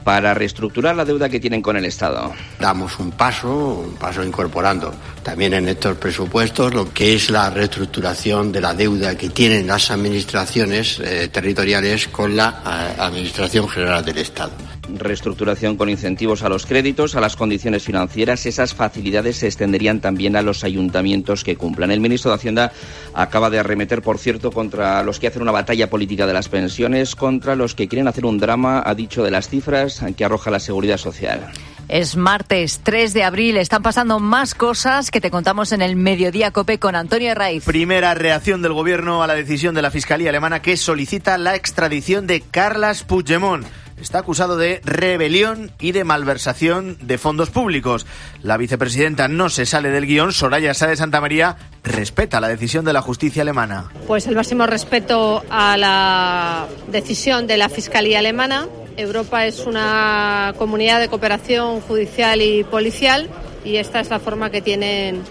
para reestructurar la deuda que tienen con el Estado. Damos un paso incorporando también en estos presupuestos lo que es la reestructuración de la deuda que tienen las administraciones territoriales con la Administración General del Estado. Reestructuración con incentivos a los créditos, a las condiciones financieras. Esas facilidades se extenderían también a los ayuntamientos que cumplan. El ministro de Hacienda acaba de arremeter, por cierto, contra los que hacen una batalla política de las pensiones, contra los que quieren hacer un drama, ha dicho, de las cifras que arroja la Seguridad Social. Es martes 3 de abril. Están pasando más cosas que te contamos en el Mediodía COPE con Antonio Herraiz. Primera reacción del Gobierno a la decisión de la Fiscalía alemana que solicita la extradición de Carles Puigdemont. Está acusado de rebelión y de malversación de fondos públicos. La vicepresidenta no se sale del guión. Soraya Sáez de Santamaría respeta la decisión de la justicia alemana. Pues el máximo respeto a la decisión de la Fiscalía alemana. Europa es una comunidad de cooperación judicial y policial y esta es la forma que tienen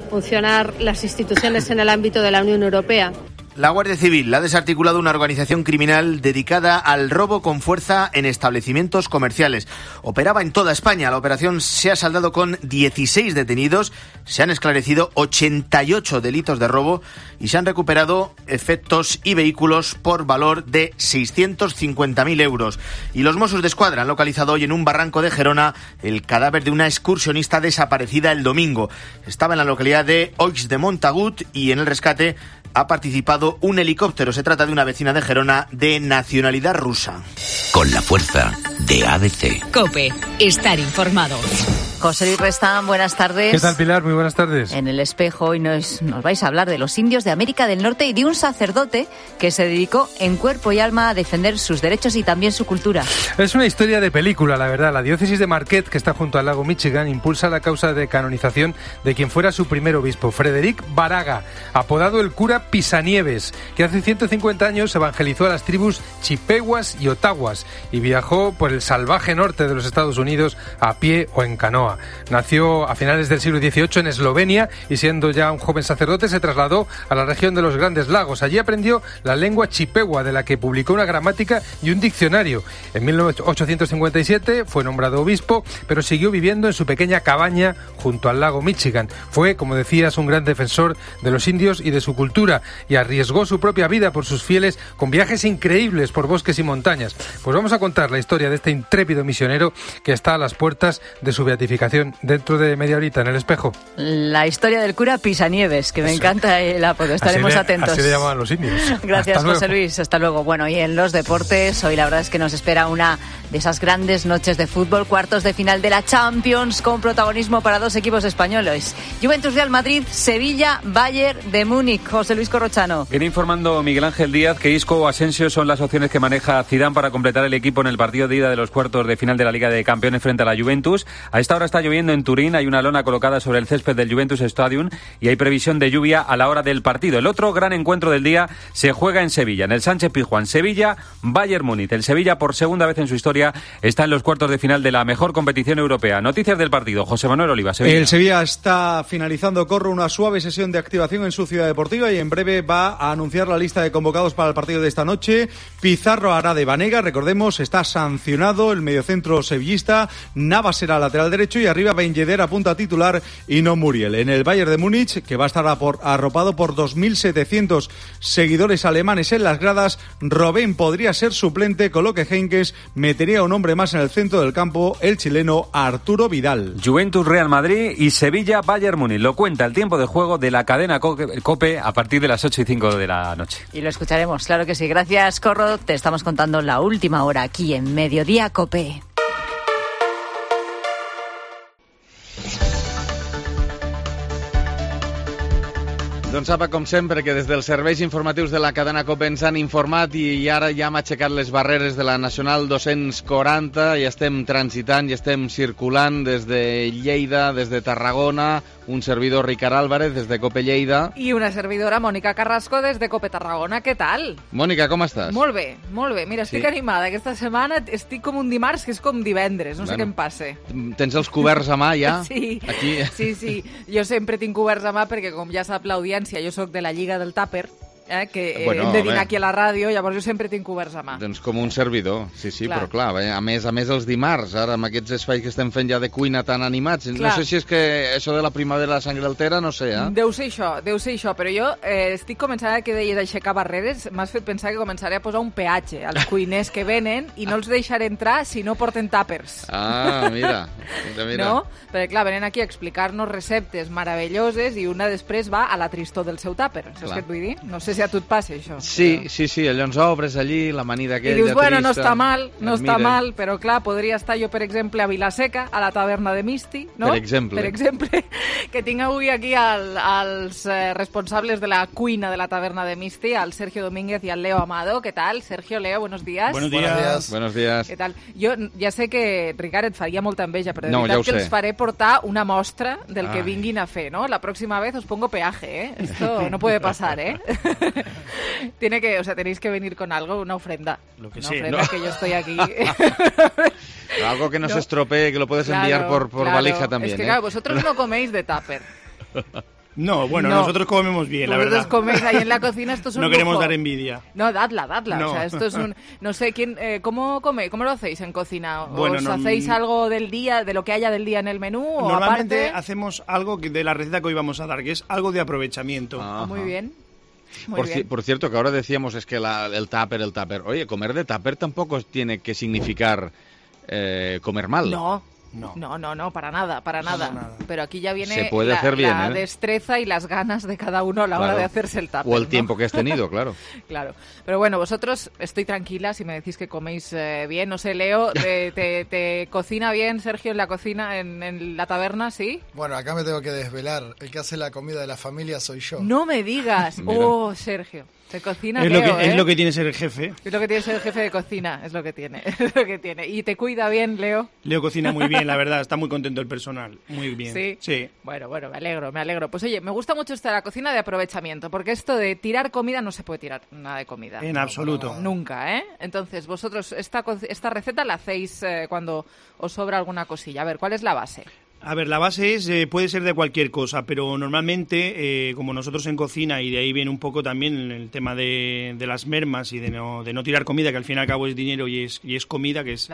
funcionar las instituciones en el ámbito de la Unión Europea. La Guardia Civil ha desarticulado una organización criminal dedicada al robo con fuerza en establecimientos comerciales. Operaba en toda España. La operación se ha saldado con 16 detenidos, se han esclarecido 88 delitos de robo y se han recuperado efectos y vehículos por valor de 650.000 euros. Y los Mossos de Escuadra han localizado hoy en un barranco de Gerona el cadáver de una excursionista desaparecida el domingo. Estaba en la localidad de Oix de Montagut y en el rescate ha participado un helicóptero. Se trata de una vecina de Gerona de nacionalidad rusa. Con la fuerza de ABC. COPE, estar informado. José Luis Restán, buenas tardes. ¿Qué tal, Pilar? Muy buenas tardes. En El Espejo hoy nos vais a hablar de los indios de América del Norte y de un sacerdote que se dedicó en cuerpo y alma a defender sus derechos y también su cultura. Es una historia de película, la verdad. La diócesis de Marquette, que está junto al lago Michigan, impulsa la causa de canonización de quien fuera su primer obispo, Frederic Baraga, apodado el cura Pisanieves, que hace 150 años evangelizó a las tribus Chippewas y Ottawas y viajó por el salvaje norte de los Estados Unidos a pie o en canoa. Nació a finales del siglo XVIII en Eslovenia y siendo ya un joven sacerdote se trasladó a la región de los Grandes Lagos. Allí aprendió la lengua chippewa, de la que publicó una gramática y un diccionario. En 1857 fue nombrado obispo, pero siguió viviendo en su pequeña cabaña junto al lago Michigan. Fue, como decías, un gran defensor de los indios y de su cultura y arriesgó su propia vida por sus fieles con viajes increíbles por bosques y montañas. Pues vamos a contar la historia de este intrépido misionero que está a las puertas de su beatificación dentro de media horita en El Espejo. La historia del cura Pisanieves, que me encanta el apodo. Estaremos atentos. Así le llamaban los indios. Gracias, José Luis. Hasta luego. Bueno, y en los deportes, hoy la verdad es que nos espera una de esas grandes noches de fútbol, cuartos de final de la Champions, con protagonismo para 2 equipos españoles. Juventus Real Madrid, Sevilla, Bayern de Múnich. José Luis Corrochano. Viene informando Miguel Ángel Díaz que Isco o Asensio son las opciones que maneja Zidane para completar el equipo en el partido de ida de los cuartos de final de la Liga de Campeones frente a la Juventus. A esta hora ahora está lloviendo en Turín, hay una lona colocada sobre el césped del Juventus Stadium y hay previsión de lluvia a la hora del partido. El otro gran encuentro del día se juega en Sevilla, en el Sánchez-Pizjuán. Sevilla-Bayern Múnich. El Sevilla, por segunda vez en su historia, está en los cuartos de final de la mejor competición europea. Noticias del partido, José Manuel Oliva, Sevilla. El Sevilla está finalizando, corre una suave sesión de activación en su ciudad deportiva y en breve va a anunciar la lista de convocados para el partido de esta noche. Pizarro hará de Banega, recordemos, está sancionado el mediocentro sevillista. Navas será lateral derecho y arriba Ben Yedder apunta titular y no Muriel. En el Bayern de Múnich, que va a estar arropado por 2.700 seguidores alemanes en las gradas, Robben podría ser suplente, con lo que Heinkes metería un hombre más en el centro del campo, el chileno Arturo Vidal. Juventus Real Madrid y Sevilla Bayern Múnich. Lo cuenta el tiempo de juego de la cadena COPE a partir de las 8:05 de la noche. Y lo escucharemos, claro que sí. Gracias, Corro. Te estamos contando la última hora aquí en Mediodía COPE. Doncs sap, com sempre, que des dels serveis informatius de la cadena COPE ens han informat i ara ja hem aixecat les barreres de la Nacional 240 i estem transitant i estem circulant des de Lleida, des de Tarragona, un servidor Ricard Álvarez des de COPE Lleida. I una servidora Mònica Carrasco des de COPE Tarragona. Què tal? Mònica, com estàs? Molt bé, molt bé. Mira, estic animada. Aquesta setmana estic com un dimarts que és com divendres. No sé què em passa. Tens els coberts a mà ja? Sí, aquí. Sí. Jo sempre tinc coberts a mà perquè, com ja sap l'audiència, jo sóc de la Lliga del Tàper, que hem de dinar aquí a la ràdio, llavors jo sempre tinc coberts a mà. Doncs com un servidor, sí, clar. Però clar, a més els dimarts, ara amb aquests espais que estem fent ja de cuina tan animats, clar. No sé si és que això de la primavera la sangre altera, no sé, Deu ser això, però jo estic començant, que deies aixecar barreres, m'has fet pensar que començaré a posar un peatge als cuiners que venen i no els deixaré entrar si no porten tàpers. Ah, mira. No? Perquè clar, venen aquí a explicar-nos receptes meravelloses i una després va a la tristor del seu tàper, saps què et vull dir? No sé si a tu et passa això. Sí, allò ens obres allí, l'amanida aquella trista. I dius, bueno, trista, no està mal, però clar, podria estar jo, per exemple, a Vilaseca, a la taverna de Misti, no? Per exemple, que tinc avui aquí els responsables de la cuina de la taverna de Misti, el Sergio Domínguez i el Leo Amado. ¿Qué tal? Sergio, Leo, buenos días. Buenos días. ¿Qué tal? Jo ja sé que, Ricard, et faria molta enveja, però de veritat ja que els faré portar una mostra del que vinguin a fer, ¿no? La próxima vez os pongo peaje, ¿eh? Esto no puede pasar, ¿eh? Tenéis que venir con algo, una ofrenda. Lo que una sea, ofrenda, ¿no? Que yo estoy aquí. Algo que no se estropee, que lo puedes enviar por valija también. Es que claro, vosotros no coméis de tupper. No, bueno, nosotros comemos bien, la verdad. Vosotros coméis ahí en la cocina, esto es un No queremos lujo. dar envidia. No, dadla. No. O sea, esto es un... No sé, ¿cómo coméis? ¿Cómo lo hacéis en cocina? Bueno, ¿Os hacéis algo del día, de lo que haya del día en el menú? ¿O normalmente aparte? hacemos algo de la receta que hoy vamos a dar, que es algo de aprovechamiento. Muy bien. Por cierto, que ahora decíamos es que el tupper. Oye, comer de tupper tampoco tiene que significar comer mal. No, para nada. Pero aquí ya viene se puede hacer bien, la destreza y las ganas de cada uno a la hora de hacerse el tupper. O el tiempo que has tenido, claro. Claro. Pero bueno, vosotros, estoy tranquila si me decís que coméis bien. No sé, Leo, ¿te cocina bien, Sergio, en la cocina, en la taberna, sí? Bueno, acá me tengo que desvelar. El que hace la comida de la familia soy yo. No me digas. Sergio. Te cocina es lo que tiene ser el jefe. Es lo que tiene ser el jefe de cocina, es lo que tiene. ¿Y te cuida bien, Leo? Leo cocina muy bien, la verdad, está muy contento el personal, muy bien. Sí. Bueno, me alegro. Pues oye, me gusta mucho esto de la cocina de aprovechamiento, porque esto de tirar comida no se puede tirar nada de comida. En absoluto. Nunca, ¿eh? Entonces, vosotros esta receta la hacéis cuando os sobra alguna cosilla. A ver, ¿cuál es la base? A ver, la base puede ser de cualquier cosa, pero normalmente, como nosotros en cocina, y de ahí viene un poco también el tema de las mermas y de no tirar comida, que al fin y al cabo es dinero y es comida, que es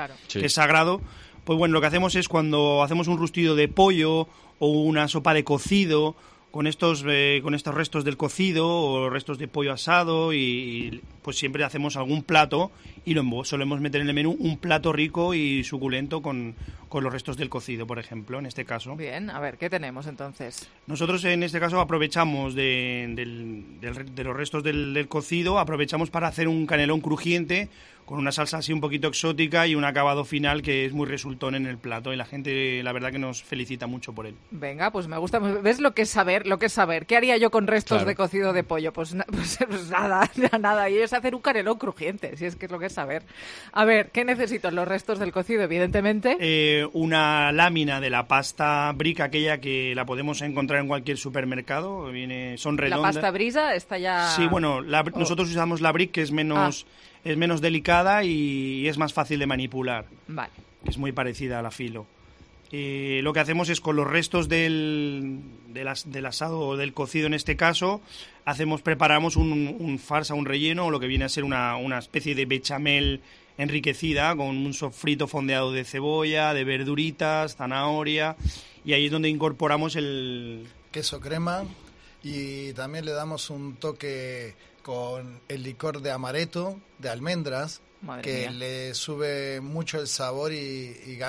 sagrado, pues bueno, lo que hacemos es cuando hacemos un rustido de pollo o una sopa de cocido, con estos restos del cocido o restos de pollo asado y pues siempre hacemos algún plato y solemos meter en el menú un plato rico y suculento con los restos del cocido, por ejemplo, en este caso. Bien, a ver, ¿qué tenemos entonces? Nosotros en este caso aprovechamos de los restos del cocido, aprovechamos para hacer un canelón crujiente con una salsa así un poquito exótica y un acabado final que es muy resultón en el plato, y la gente la verdad que nos felicita mucho por él. Venga, pues me gusta. ¿Ves lo que es saber? ¿Qué haría yo con restos de cocido de pollo? Pues nada. Y es hacer un canelón crujiente, si es que es lo que es saber. A ver, ¿qué necesito? Los restos del cocido, evidentemente. Una lámina de la pasta brick, aquella que la podemos encontrar en cualquier supermercado. Son redondas. ¿La pasta brisa está ya...? Sí, bueno, nosotros usamos la brick, que es menos delicada y es más fácil de manipular. Vale. Es muy parecida a la filo. Lo que hacemos es con los restos del asado o del cocido en este caso, preparamos un farsa, un relleno, o lo que viene a ser una especie de bechamel enriquecida con un sofrito fondeado de cebolla, de verduritas, zanahoria, y ahí es donde incorporamos el queso crema, y también le damos un toque con el licor de amaretto, de almendras, que le sube mucho el sabor y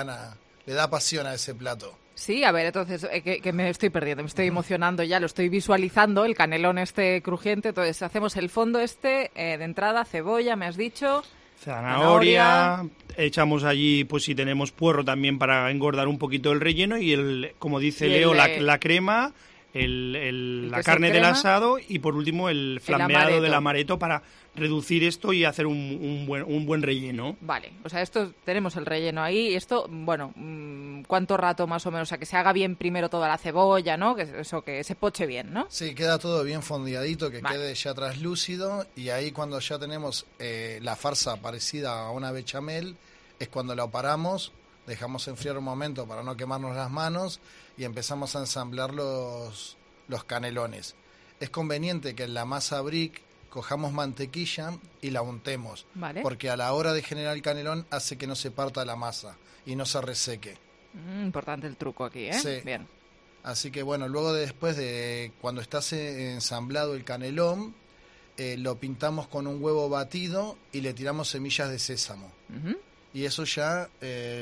le da pasión a ese plato. Sí, a ver, entonces, que me estoy perdiendo, me estoy emocionando ya, lo estoy visualizando, el canelón crujiente. Entonces hacemos el fondo de entrada, cebolla, me has dicho... Zanahoria, echamos allí, pues si tenemos puerro también para engordar un poquito el relleno, y como dice Leo, la crema, la carne del asado, y por último el flambeado del amaretto para reducir esto y hacer un buen relleno. Vale, o sea, tenemos el relleno ahí, y esto, bueno, ¿cuánto rato más o menos? O sea, que se haga bien primero toda la cebolla, ¿no? Que se poche bien, ¿no? Sí, queda todo bien fondeadito, que quede ya traslúcido, y ahí cuando ya tenemos la farsa parecida a una bechamel, es cuando la paramos, dejamos enfriar un momento para no quemarnos las manos, y empezamos a ensamblar los canelones. Es conveniente que en la masa brick cojamos mantequilla y la untemos, porque a la hora de generar el canelón hace que no se parta la masa y no se reseque. Importante el truco aquí, ¿eh? Sí. Bien. Así que bueno, luego después de cuando está ensamblado el canelón, lo pintamos con un huevo batido y le tiramos semillas de sésamo. Y eso ya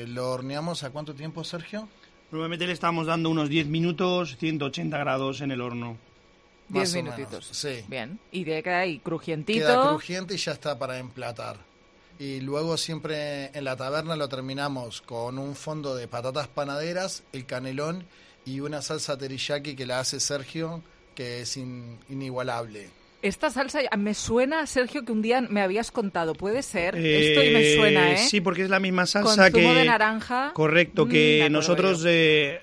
lo horneamos. ¿A cuánto tiempo, Sergio? Normalmente le estamos dando unos 10 minutos, 180 grados en el horno. 10 minutitos. Sí. Bien. Y queda ahí crujientito. Queda crujiente y ya está para emplatar. Y luego siempre en la taberna lo terminamos con un fondo de patatas panaderas, el canelón y una salsa teriyaki que la hace Sergio, que es inigualable. Esta salsa me suena, Sergio, que un día me habías contado. ¿Puede ser? Esto y me suena, ¿eh? Sí, porque es la misma salsa con zumo de naranja. Correcto, que nosotros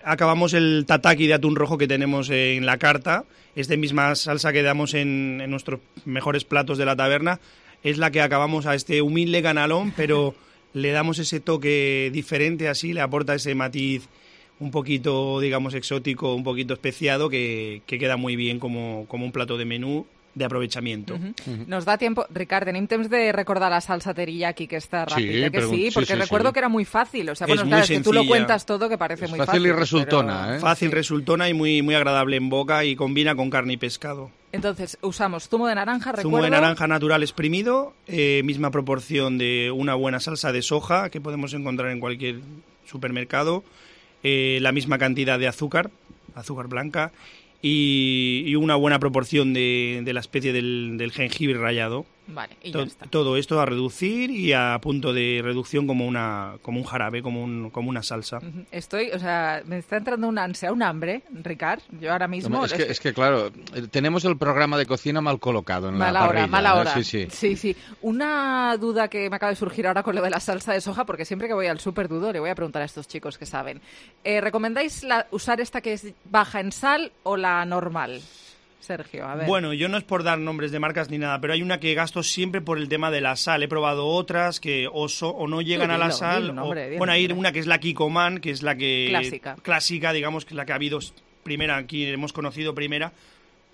acabamos el tataki de atún rojo que tenemos en la carta. Es de misma salsa que damos en nuestros mejores platos de la taberna. Es la que acabamos a este humilde canelón, pero le damos ese toque diferente, así, le aporta ese matiz un poquito, digamos, exótico, un poquito especiado, que queda muy bien como un plato de menú de aprovechamiento. Nos da tiempo, Ricard, tenim temps de recordar la salsa teriyaki, que está rápida, porque recuerdo que era muy fácil. O sea, bueno, claro, es que tú lo cuentas todo, que parece muy fácil. Fácil y resultona, pero... Fácil, resultona y muy agradable en boca, y combina con carne y pescado. Entonces, usamos zumo de naranja, recuerdo. Zumo de naranja natural exprimido, misma proporción de una buena salsa de soja que podemos encontrar en cualquier supermercado, la misma cantidad de azúcar blanca, y una buena proporción de la especie del jengibre rallado. Vale, y ya está. Todo esto a reducir y a punto de reducción como un jarabe, como una salsa. Me está entrando una ansia, un hambre, Ricard. Yo ahora mismo... Es que claro, tenemos el programa de cocina mal colocado en la parrilla. Mala hora. Sí. Una duda que me acaba de surgir ahora con lo de la salsa de soja, porque siempre que voy al súper dudo, le voy a preguntar a estos chicos que saben. ¿Recomendáis usar esta que es baja en sal o la normal? Sergio, a ver. Bueno, yo no es por dar nombres de marcas ni nada, pero hay una que gasto siempre por el tema de la sal. He probado otras que o no llegan a la sal. Hay una que es la Kikkoman, que es la que... Clásica, digamos, que es la que ha habido primera, aquí hemos conocido primera,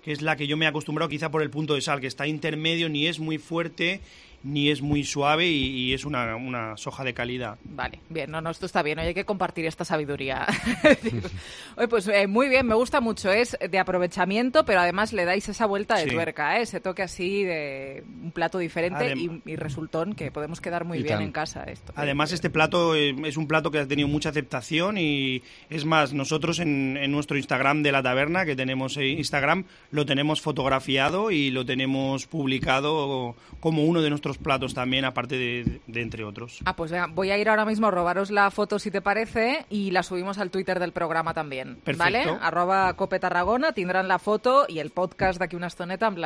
que es la que yo me he acostumbrado quizá por el punto de sal, que está intermedio, ni es muy fuerte ni es muy suave, y es una soja de calidad. Vale, bien, esto está bien, hay que compartir esta sabiduría. Oye, pues muy bien, me gusta mucho, es de aprovechamiento, pero además le dais esa vuelta de tuerca, ese toque así de un plato diferente y resultón, que podemos quedar muy bien en casa. Además, este plato es un plato que ha tenido mucha aceptación, y es más, nosotros en nuestro Instagram de la taberna, que tenemos Instagram, lo tenemos fotografiado y lo tenemos publicado como uno de nuestros esos platos también, aparte de entre otros. Pues venga, voy a ir ahora mismo a robaros la foto si te parece y la subimos al Twitter del programa también. Perfecto. ¿Vale? @Cope Tarragona, tindran la foto y el podcast d'aquí una estoneta amb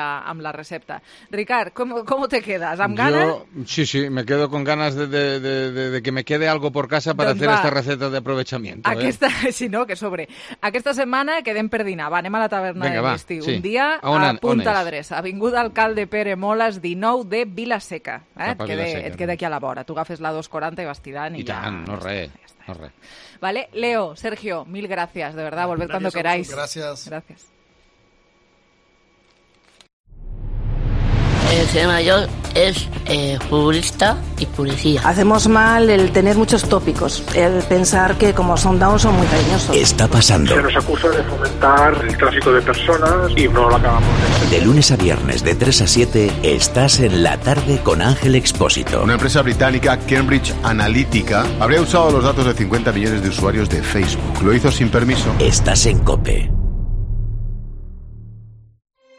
la recepta. Ricard, ¿cómo te quedas? ¿Amb ganas? Sí, me quedo con ganas de que me quede algo por casa para hacer esta receta de aprovechamiento. Si no, que sobre. Aquesta setmana quedem per dinar. Va, anem a la taverna de l'estiu. Sí. Un dia, apunta l'adreça. Avinguda Alcalde Pere Moles, 19 de Vilaseca. Et queda aquí a la vora. Tu agafes la 240 i vas tirant i ja... no res. Vale, Leo, Sergio, mil gracias, de verdad, volved cuando queráis. Gracias. El señor mayor es futbolista y policía. Hacemos mal el tener muchos tópicos, el pensar que como son down son muy cariñosos. Está pasando. Se nos acusa de fomentar el tráfico de personas y no lo acabamos de hacer. De lunes a viernes de 3 a 7 estás en La Tarde con Ángel Expósito. Una empresa británica, Cambridge Analytica, habría usado los datos de 50 millones de usuarios de Facebook. Lo hizo sin permiso. Estás en COPE.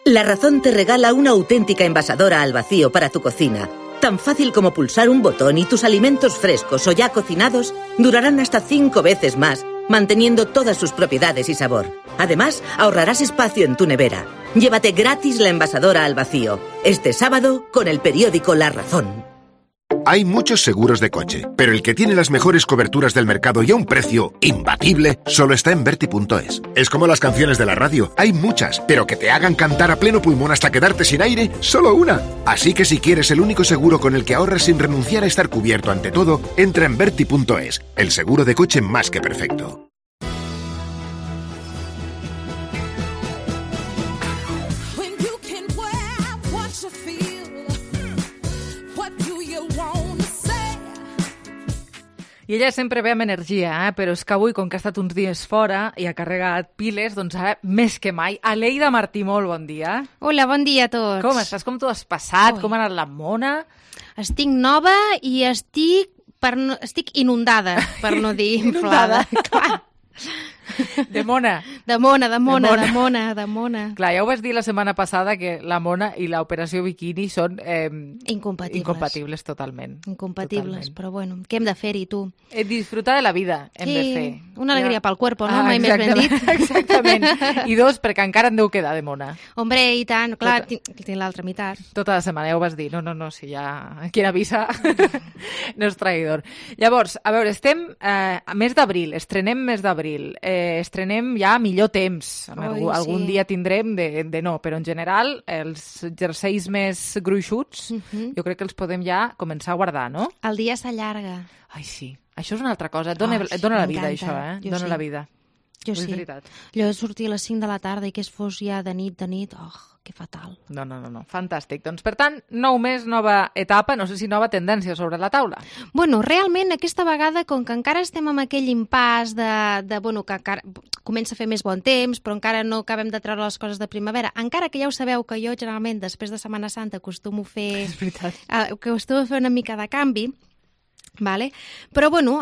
La Razón te regala una auténtica envasadora al vacío para tu cocina. Tan fácil como pulsar un botón y tus alimentos frescos o ya cocinados durarán hasta 5 veces más, manteniendo todas sus propiedades y sabor. Además, ahorrarás espacio en tu nevera. Llévate gratis la envasadora al vacío. Este sábado con el periódico La Razón. Hay muchos seguros de coche, pero el que tiene las mejores coberturas del mercado y a un precio imbatible solo está en Verti.es. Es como las canciones de la radio, hay muchas, pero que te hagan cantar a pleno pulmón hasta quedarte sin aire, solo una. Así que si quieres el único seguro con el que ahorras sin renunciar a estar cubierto ante todo, entra en Verti.es, el seguro de coche más que perfecto. I ella sempre ve amb energia, però és que avui, com que ha estat uns dies fora i ha carregat piles, doncs ara més que mai. Aleida Martí, molt bon dia. Hola, bon dia a tots. Com estàs? Com t'ho has passat? Com ha anat la mona? Estic nova i estic inundada, per no dir inflada. Clar. De mona. De mona. Clar, ja ho vas dir la setmana passada que la mona i l'operació biquini són incompatibles totalment. Incompatibles, totalment. Però bueno, què hem de fer-hi, tu? Disfrutar de la vida hem de fer. Una alegria pel cuerpo, no? Mai més ben dit. Exactament. I 2, perquè encara en deu quedar de mona. Hombre, i tant. Clar, tinc l'altra meitat. Tota la setmana, ja ho vas dir. No, si ja... Qui avisa no és traïdor. Llavors, a veure, estem a mes d'abril, estrenem mes d'abril. Estrenem ja millor temps. Algun dia tindrem de no, però en general els jerseis més gruixuts jo crec que els podem ja començar a guardar, no? El dia s'allarga. Ai, sí. Això és una altra cosa. Dona la vida, això, Dona la vida. Jo sí. Allò de sortir a les 5 de la tarda i que es fos ja de nit, que fatal. No. Fantàstic. Doncs, per tant, nou mes, nova etapa, no sé si nova tendència sobre la taula. Bueno, realment, aquesta vegada, com que encara estem amb aquell impàs que encara comença a fer més bon temps, però encara no acabem de treure les coses de primavera, encara que ja ho sabeu que jo, generalment, després de Setmana Santa, acostumo a fer una mica de canvi, vale? Però bueno,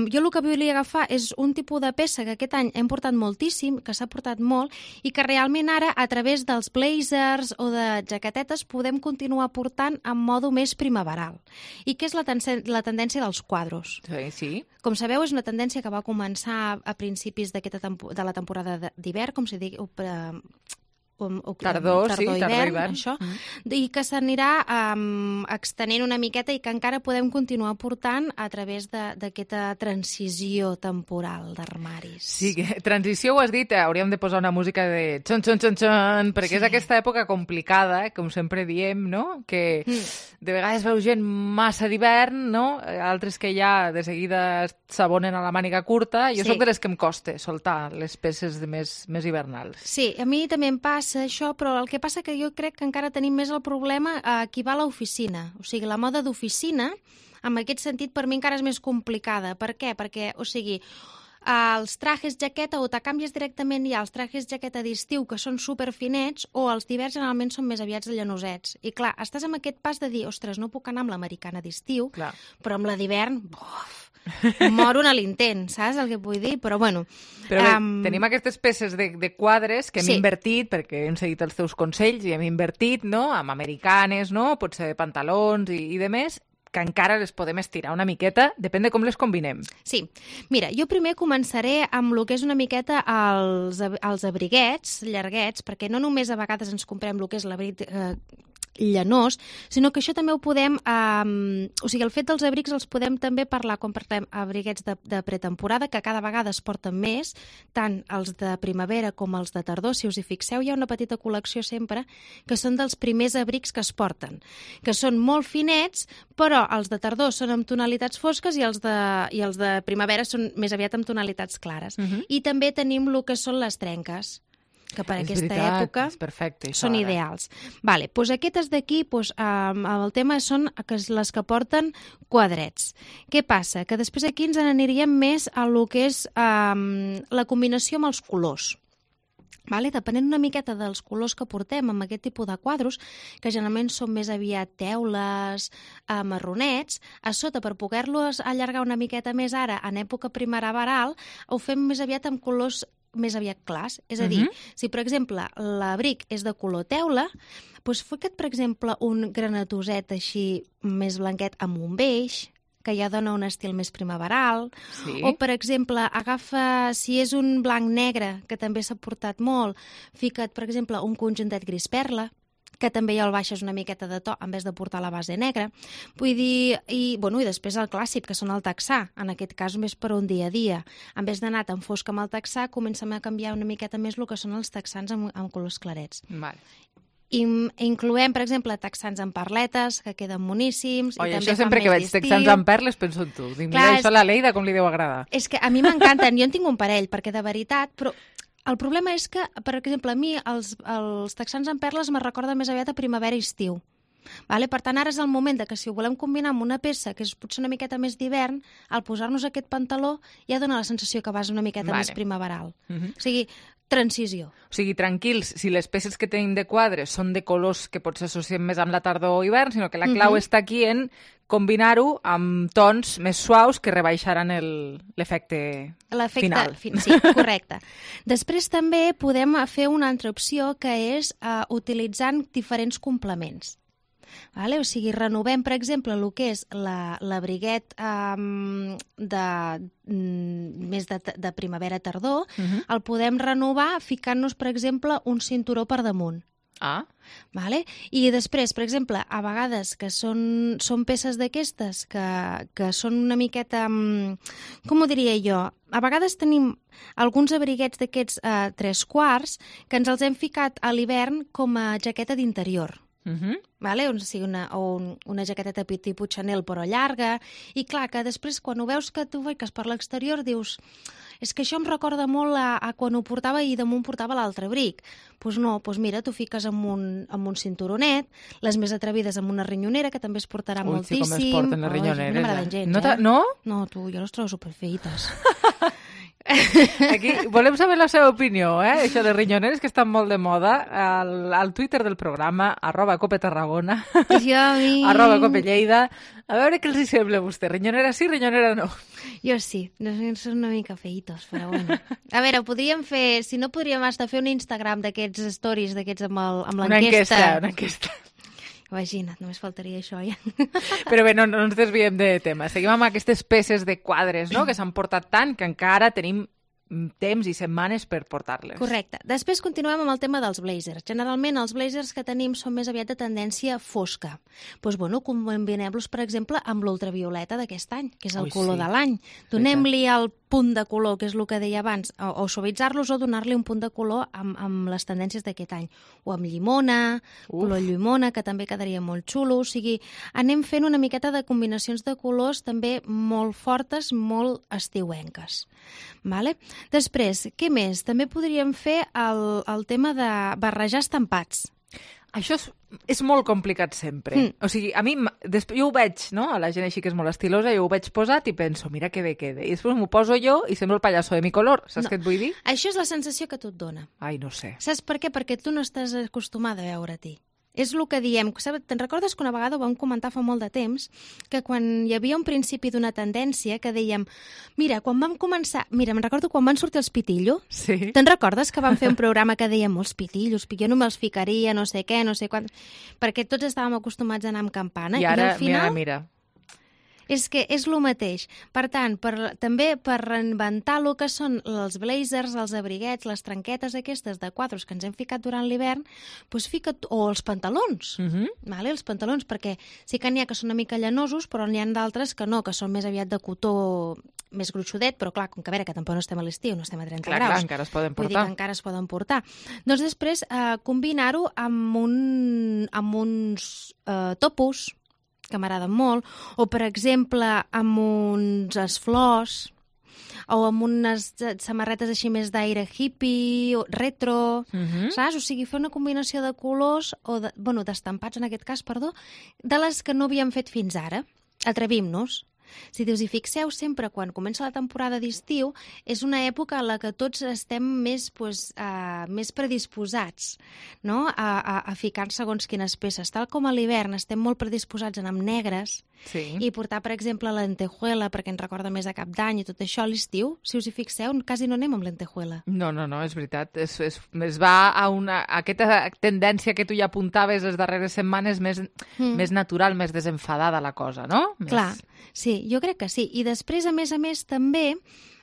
jo el que volia agafar és un tipus de peça que aquest any hem portat moltíssim, que s'ha portat molt i que realment ara a través dels blazers o de jaquetetes podem continuar portant en modo més primaveral, i que és la tendència dels quadros. Sí. Com sabeu, és una tendència que va començar a principis de la temporada d'hivern, com si digui, tardor, hivern, això, i que s'anirà extenent una miqueta i que encara podem continuar portant a través d'aquesta transició temporal d'armaris. Sí, transició ho has dit, hauríem de posar una música de xon, xon, xon, xon, perquè és aquesta època complicada, com sempre diem, no? Que de vegades veu gent massa d'hivern, no? Altres que ja de seguida s'abonen a la màniga curta. Jo soc de les que em costa soltar les peces més hivernals. Sí, a mi també em passa això, però el que passa que jo crec que encara tenim més el problema a qui va a l'oficina. O sigui, la moda d'oficina, en aquest sentit, per mi encara és més complicada. Per què? Perquè, o sigui, els trajes jaqueta o te canvies directament ja els trajes jaqueta d'estiu, que són superfinets, o els d'hivern generalment són més aviats llanosets. I clar, estàs amb aquest pas de dir, ostres, no puc anar amb l'americana d'estiu, però amb la d'hivern, moro a l'intent, saps el que vull dir? Però bueno... Però bé, tenim aquestes peces de quadres que hem invertit, perquè hem seguit els teus consells i hem invertit, no?, amb americanes, no?, potser pantalons i de més, que encara les podem estirar una miqueta, depèn de com les combinem. Sí. Mira, jo primer començaré amb el que és una miqueta els abriguets llarguets, perquè no només a vegades ens comprem el que és l'abric llanós, sinó que això també ho podem... o sigui, el fet dels abrics els podem també parlar quan parlem abriguets de pretemporada, que cada vegada es porten més, tant els de primavera com els de tardor. Si us hi fixeu, hi ha una petita col·lecció sempre que són dels primers abrics que es porten, que són molt finets, però els de tardor són amb tonalitats fosques i els de primavera són més aviat amb tonalitats clares. I també tenim el que són les trenques, que per aquesta època són ideals. Vale, doncs aquestes d'aquí, el tema són les que porten quadrets. Què passa? Que després aquí ens n'aniríem més a lo que és la combinació amb els colors. Vale? Depenent una miqueta dels colors que portem amb aquest tipus de quadros, que generalment són més aviat teules, marronets, a sota, per poder-los allargar una miqueta més ara, en època primaveral, ho fem més aviat amb colors més aviat clars. És a dir, si, per exemple, l'abric és de color teula, doncs fica't, per exemple, un granatoset així més blanquet amb un beix, que ja dona un estil més primaveral. O, per exemple, agafa, si és un blanc-negre, que també s'ha portat molt, fica't, per exemple, un conjuntet gris perla, que també ja el baixes una miqueta de to en vez de portar la base negra. Vull dir, i després el clàssic, que són el texà, en aquest cas més per un dia a dia. En vez d'anar tan fosc amb el texà, comencem a canviar una miqueta més el que són els texans amb colors clarets. Incloem, per exemple, texans amb perletes, que queden moníssims. Oi, això sempre que veig texans amb perles penso en tu. Dic, mira, això a la Leida com li deu agradar. És que a mi m'encanten, jo en tinc un parell, perquè de veritat, però el problema és que, per exemple, a mi els texans amb perles me recorda més aviat a primavera i estiu. Per tant, ara és el moment que si ho volem combinar amb una peça que és potser una miqueta més d'hivern, al posar-nos aquest pantaló ja dona la sensació que vas una miqueta més primaveral. O sigui, transició. O sigui, tranquils, si les peces que tenim de quadres són de colors que potser associem més amb la tardor o hivern, sinó que la clau està aquí en combinar-ho amb tons més suaus que rebaixaran l'efecte final. Sí, correcte. Després també podem fer una altra opció, que és utilitzant diferents complements. O sigui, renovem, per exemple, el que és l'abriguet més de primavera-tardor, el podem renovar ficant-nos, per exemple, un cinturó per damunt. I després, per exemple, a vegades que són peces d'aquestes que són una miqueta, com ho diria jo, a vegades tenim alguns abriguets d'aquests 3/4 que ens els hem ficat a l'hivern com a jaqueta d'interior. O sigui, una jaqueteta tipus Chanel però llarga, i clar, que després quan ho veus que tu fiques per l'exterior dius, és que això em recorda molt a quan ho portava i damunt portava l'altre abric. Doncs no, mira, tu fiques amb un cinturonet, les més atrevides amb una rinyonera, que també es portarà moltíssim. Sí, com es porten les rinyoneres. No m'agraden gens, No? No, tu, jo les trobo superfeites. Aquí volem saber la seva opinió, això de rinyoneres, que estan molt de moda, al Twitter del programa, @copetarragona, @copelleida. A veure què els hi sembla a vostè, rinyonera sí, rinyonera no. Jo sí, són una mica feitos, però bueno. A veure, podríem fer, si no podríem estar fer un Instagram d'aquests stories, d'aquests amb l'enquesta. Una enquesta. Imagina't, només faltaria això, ja. Però bé, no ens desviem de tema. Seguim amb aquestes peces de quadres, no?, que s'han portat tant que encara tenim temps i setmanes per portar-les. Correcte. Després continuem amb el tema dels blazers. Generalment els blazers que tenim són més aviat de tendència fosca. Doncs combinem-los, per exemple, amb l'ultravioleta d'aquest any, que és el color de l'any. Donem-li el punt de color, que és el que deia abans, o suavitzar-los o donar-li un punt de color amb les tendències d'aquest any. O amb llimona, color llimona, que també quedaria molt xulo. O sigui, anem fent una miqueta de combinacions de colors també molt fortes, molt estiuenques. Després, què més? També podríem fer el tema de barrejar estampats. Això és molt complicat sempre. O sigui, a mi, jo ho veig, no? A la gent així que és molt estilosa, jo ho veig posat i penso, mira que bé queda. I després m'ho poso jo i sembla el pallasso de mi color. Saps què et vull dir? Això és la sensació que tu et dona. Ai, no sé. Saps per què? Perquè tu no estàs acostumada a veure-t'hi. És el que diem. Te'n recordes que una vegada ho vam comentar fa molt de temps, que quan hi havia un principi d'una tendència que dèiem, mira, quan vam començar... Mira, me'n recordo quan van sortir els pitillos. Sí. Te'n recordes que vam fer un programa que dèiem, els pitillos, jo no me'ls ficaria, no sé què, no sé quan... Perquè tots estàvem acostumats a anar amb campana. I ara, al final, mira. És que és el mateix. Per tant, també per reinventar el que són els blazers, els abriguets, les tranquetes aquestes de quadros que ens hem ficat durant l'hivern, doncs o els pantalons. Vale? Els pantalons, perquè sí que n'hi ha que són una mica llanosos, però n'hi ha d'altres que no, que són més aviat de cotó més gruixudet, però clar, com que a veure, que tampoc no estem a l'estiu, no estem a 30 graus. Clar, encara es poden portar. Vull dir que encara es poden portar. Doncs després, combinar-ho amb uns topos, que m'agraden molt, o, per exemple, amb uns flors, o amb unes samarretes així més d'aire hippie, o retro, saps? O sigui, fer una combinació de colors, o d'estampats, en aquest cas, perdó, de les que no havíem fet fins ara. Atrevim-nos. Si us hi fixeu, sempre quan comença la temporada d'estiu és una època en la que tots estem més predisposats, no? a ficar segons quines peces. Tal com a l'hivern estem molt predisposats a anar amb negres i portar, per exemple, lentejuela perquè ens recorda més a Cap d'Any i tot això. A l'estiu, si us hi fixeu, quasi no anem amb lentejuela. No, és veritat. Es va a aquesta tendència que tu ja apuntaves les darreres setmanes més natural, més desenfadada la cosa, no? Clar, sí, jo crec que sí. I després, a més, també,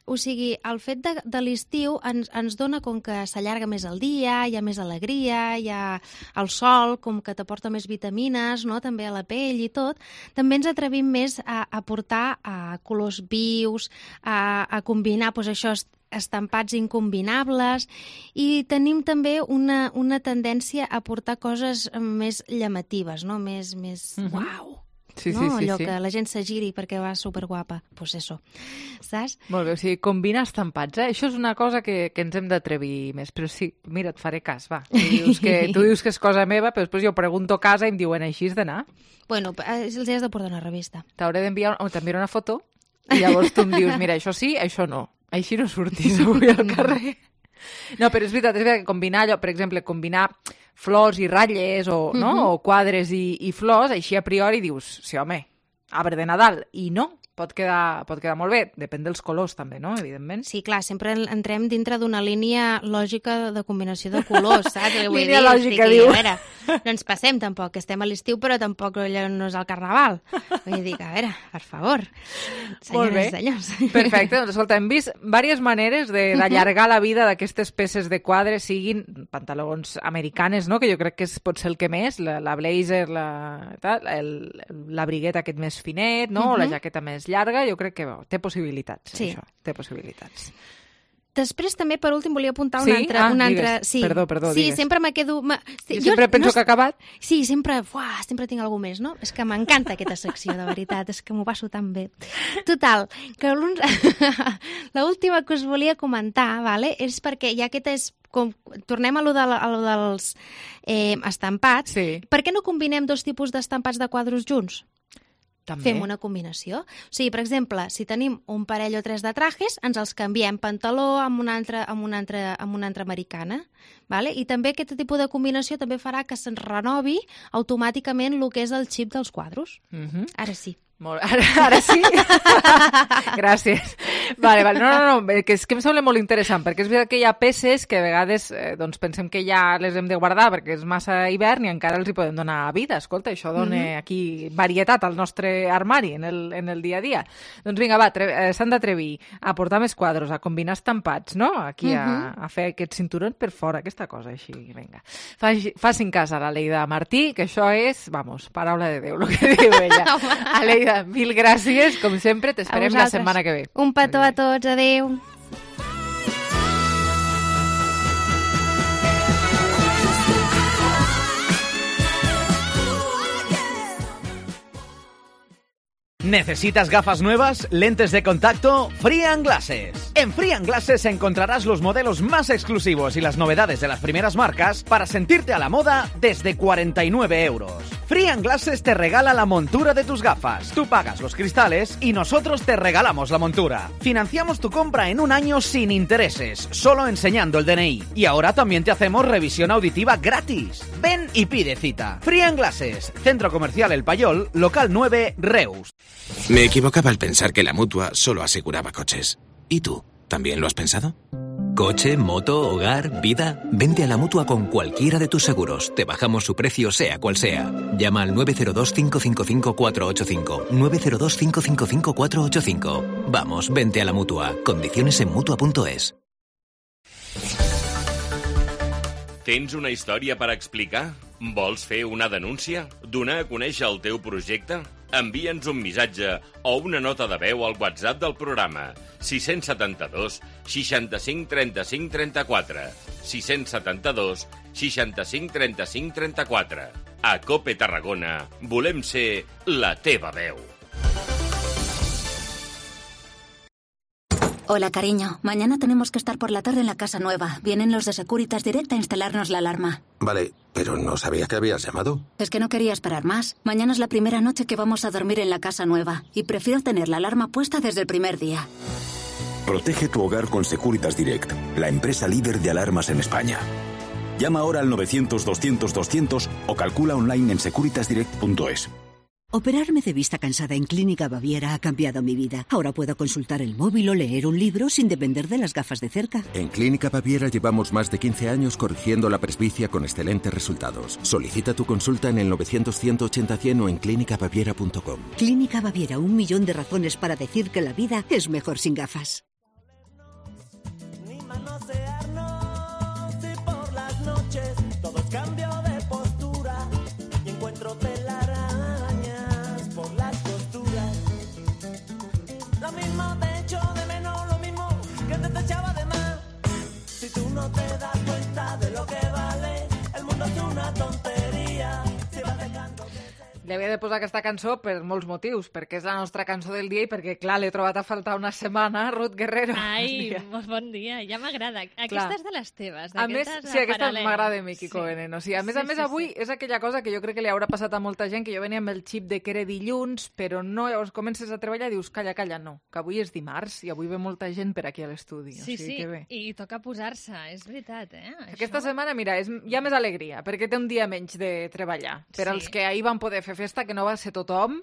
o sigui, el fet de l'estiu ens dona com que s'allarga més el dia, hi ha més alegria, hi ha el sol, com que t'aporta més vitamines, no? També a la pell i tot. També ens atrevim més a portar colors vius, a combinar, doncs això, estampats incombinables, i tenim també una tendència a portar coses més llamatives, no? Més uau! Sí, no? sí, Allò sí. que la gent s'agiri perquè va superguapa. Pues eso, saps? Molt bé, o sigui, combinar estampats, Això és una cosa que ens hem d'atrevir més. Però sí, mira, et faré cas, va. Tu dius que és cosa meva, però després jo pregunto a casa i em diuen, així has d'anar? Bueno, els has de portar una revista. T'hauré d'enviar una foto i llavors tu em dius, mira, això sí, això no. Així no surtis avui al carrer. No, però és veritat que combinar allò, per exemple, combinar flors i ratlles o quadres i flors, així a priori dius, sí, home, arbre de Nadal, i no. Pot quedar molt bé, depèn dels colors també, no? Evidentment. Sí, clar, sempre entrem dintre d'una línia lògica de combinació de colors, saps? Línia lògica, diu. A veure, no ens passem tampoc, que estem a l'estiu, però tampoc allò no és el carnaval. Vull dir que, a veure, per favor, senyores i senyors. Perfecte, doncs escolta, hem vist diverses maneres d'allargar la vida d'aquestes peces de quadre, siguin pantalons americanes, no? Que jo crec que pot ser el que més, la blazer, l'abriguet aquest més finet, no? O la jaqueta més llarga, jo crec que té possibilitats, això. Té possibilitats. Després també, per últim, volia apuntar una altra... Sí, perdó, digues. Sí, sempre me quedo... Jo sempre penso que ha acabat. Sí, sempre tinc alguna més, no? És que m'encanta aquesta secció, de veritat, és que m'ho passo tan bé. Total, que l'última que us volia comentar, és perquè ja aquesta és... Tornem a lo dels estampats. Per què no combinem dos tipus d'estampats de quadros junts? També. Fem una combinació. O sigui, per exemple, si tenim un parell o tres de trajes, ens els canviem pantaló amb una altra americana. Vale? I també aquest tipus de combinació també farà que se'ns renovi automàticament el que és el xip dels quadros. Ara sí. Ara sí? Gràcies. Vale. No, que és que em sembla molt interessant, perquè és veritat que hi ha peces que a vegades pensem que ja les hem de guardar perquè és massa hivern i encara els hi podem donar vida. Escolta, això dona aquí varietat al nostre armari en el dia a dia. Doncs vinga, s'han d'atrevir a portar més quadros, a combinar estampats, no? Aquí a fer aquest cinturó per fora, aquesta cosa així, vinga. Facin cas a la Leida Martí, que això és, paraula de Déu, el que diu ella. Leida, mil gràcies, com sempre, t'esperem la setmana que ve. Un petó a tots, adeu. ¿Necesitas gafas nuevas? ¿Lentes de contacto? Free & Glasses. En Free & Glasses encontrarás los modelos más exclusivos y las novedades de las primeras marcas para sentirte a la moda desde 49 €. Free & Glasses te regala la montura de tus gafas. Tú pagas los cristales y nosotros te regalamos la montura. Financiamos tu compra en un año sin intereses, solo enseñando el DNI. Y ahora también te hacemos revisión auditiva gratis. Ven y pide cita. Free & Glasses, Centro Comercial El Payol, local 9, Reus. Me equivocaba al pensar que la Mutua solo aseguraba coches. ¿Y tú? ¿También lo has pensado? Coche, moto, hogar, vida. Vente a la Mutua con cualquiera de tus seguros. Te bajamos su precio sea cual sea. Llama al 902-555-485. 902-555-485. Vamos, vente a la Mutua. Condiciones en Mutua.es. Tens una història per explicar? Vols fer una denúncia? Donar a conèixer el teu projecte? Envia'ns un missatge o una nota de veu al WhatsApp del programa 672 65 35 34 672 65 35 34. A COPE Tarragona volem ser la teva veu. Hola, cariño. Mañana tenemos que estar por la tarde en la casa nueva. Vienen los de Securitas Direct a instalarnos la alarma. Vale, pero no sabía que habías llamado. Es que no quería esperar más. Mañana es la primera noche que vamos a dormir en la casa nueva y prefiero tener la alarma puesta desde el primer día. Protege tu hogar con Securitas Direct, la empresa líder de alarmas en España. Llama ahora al 900-200-200 o calcula online en securitasdirect.es. Operarme de vista cansada en Clínica Baviera ha cambiado mi vida. Ahora puedo consultar el móvil o leer un libro sin depender de las gafas de cerca. En Clínica Baviera llevamos más de 15 años corrigiendo la presbicia con excelentes resultados. Solicita tu consulta en el 900-180-100 o en clínicabaviera.com. Clínica Baviera, 1 millón de razones para decir que la vida es mejor sin gafas. Li havia de posar aquesta cançó per molts motius, perquè és la nostra cançó del dia i perquè, clar, l'he trobat a faltar una setmana, Ruth Guerrero. Ai, molt bon dia, ja m'agrada. Aquesta és de les teves, a més, sí, aquesta m'agrada a mi, Kiko Veneno. Sí, a més, avui és aquella cosa que jo crec que li haurà passat a molta gent, que jo venia amb el xip de que era dilluns, però no, llavors comences a treballar i dius, calla, no, que avui és dimarts i avui ve molta gent per aquí a l'estudi. Sí, i toca posar-se, és veritat, Aquesta setmana, mira, hi ha més alegria, perquè té un dia menys de treballar. Per als que ahir van poder fer festa, que no va ser tothom,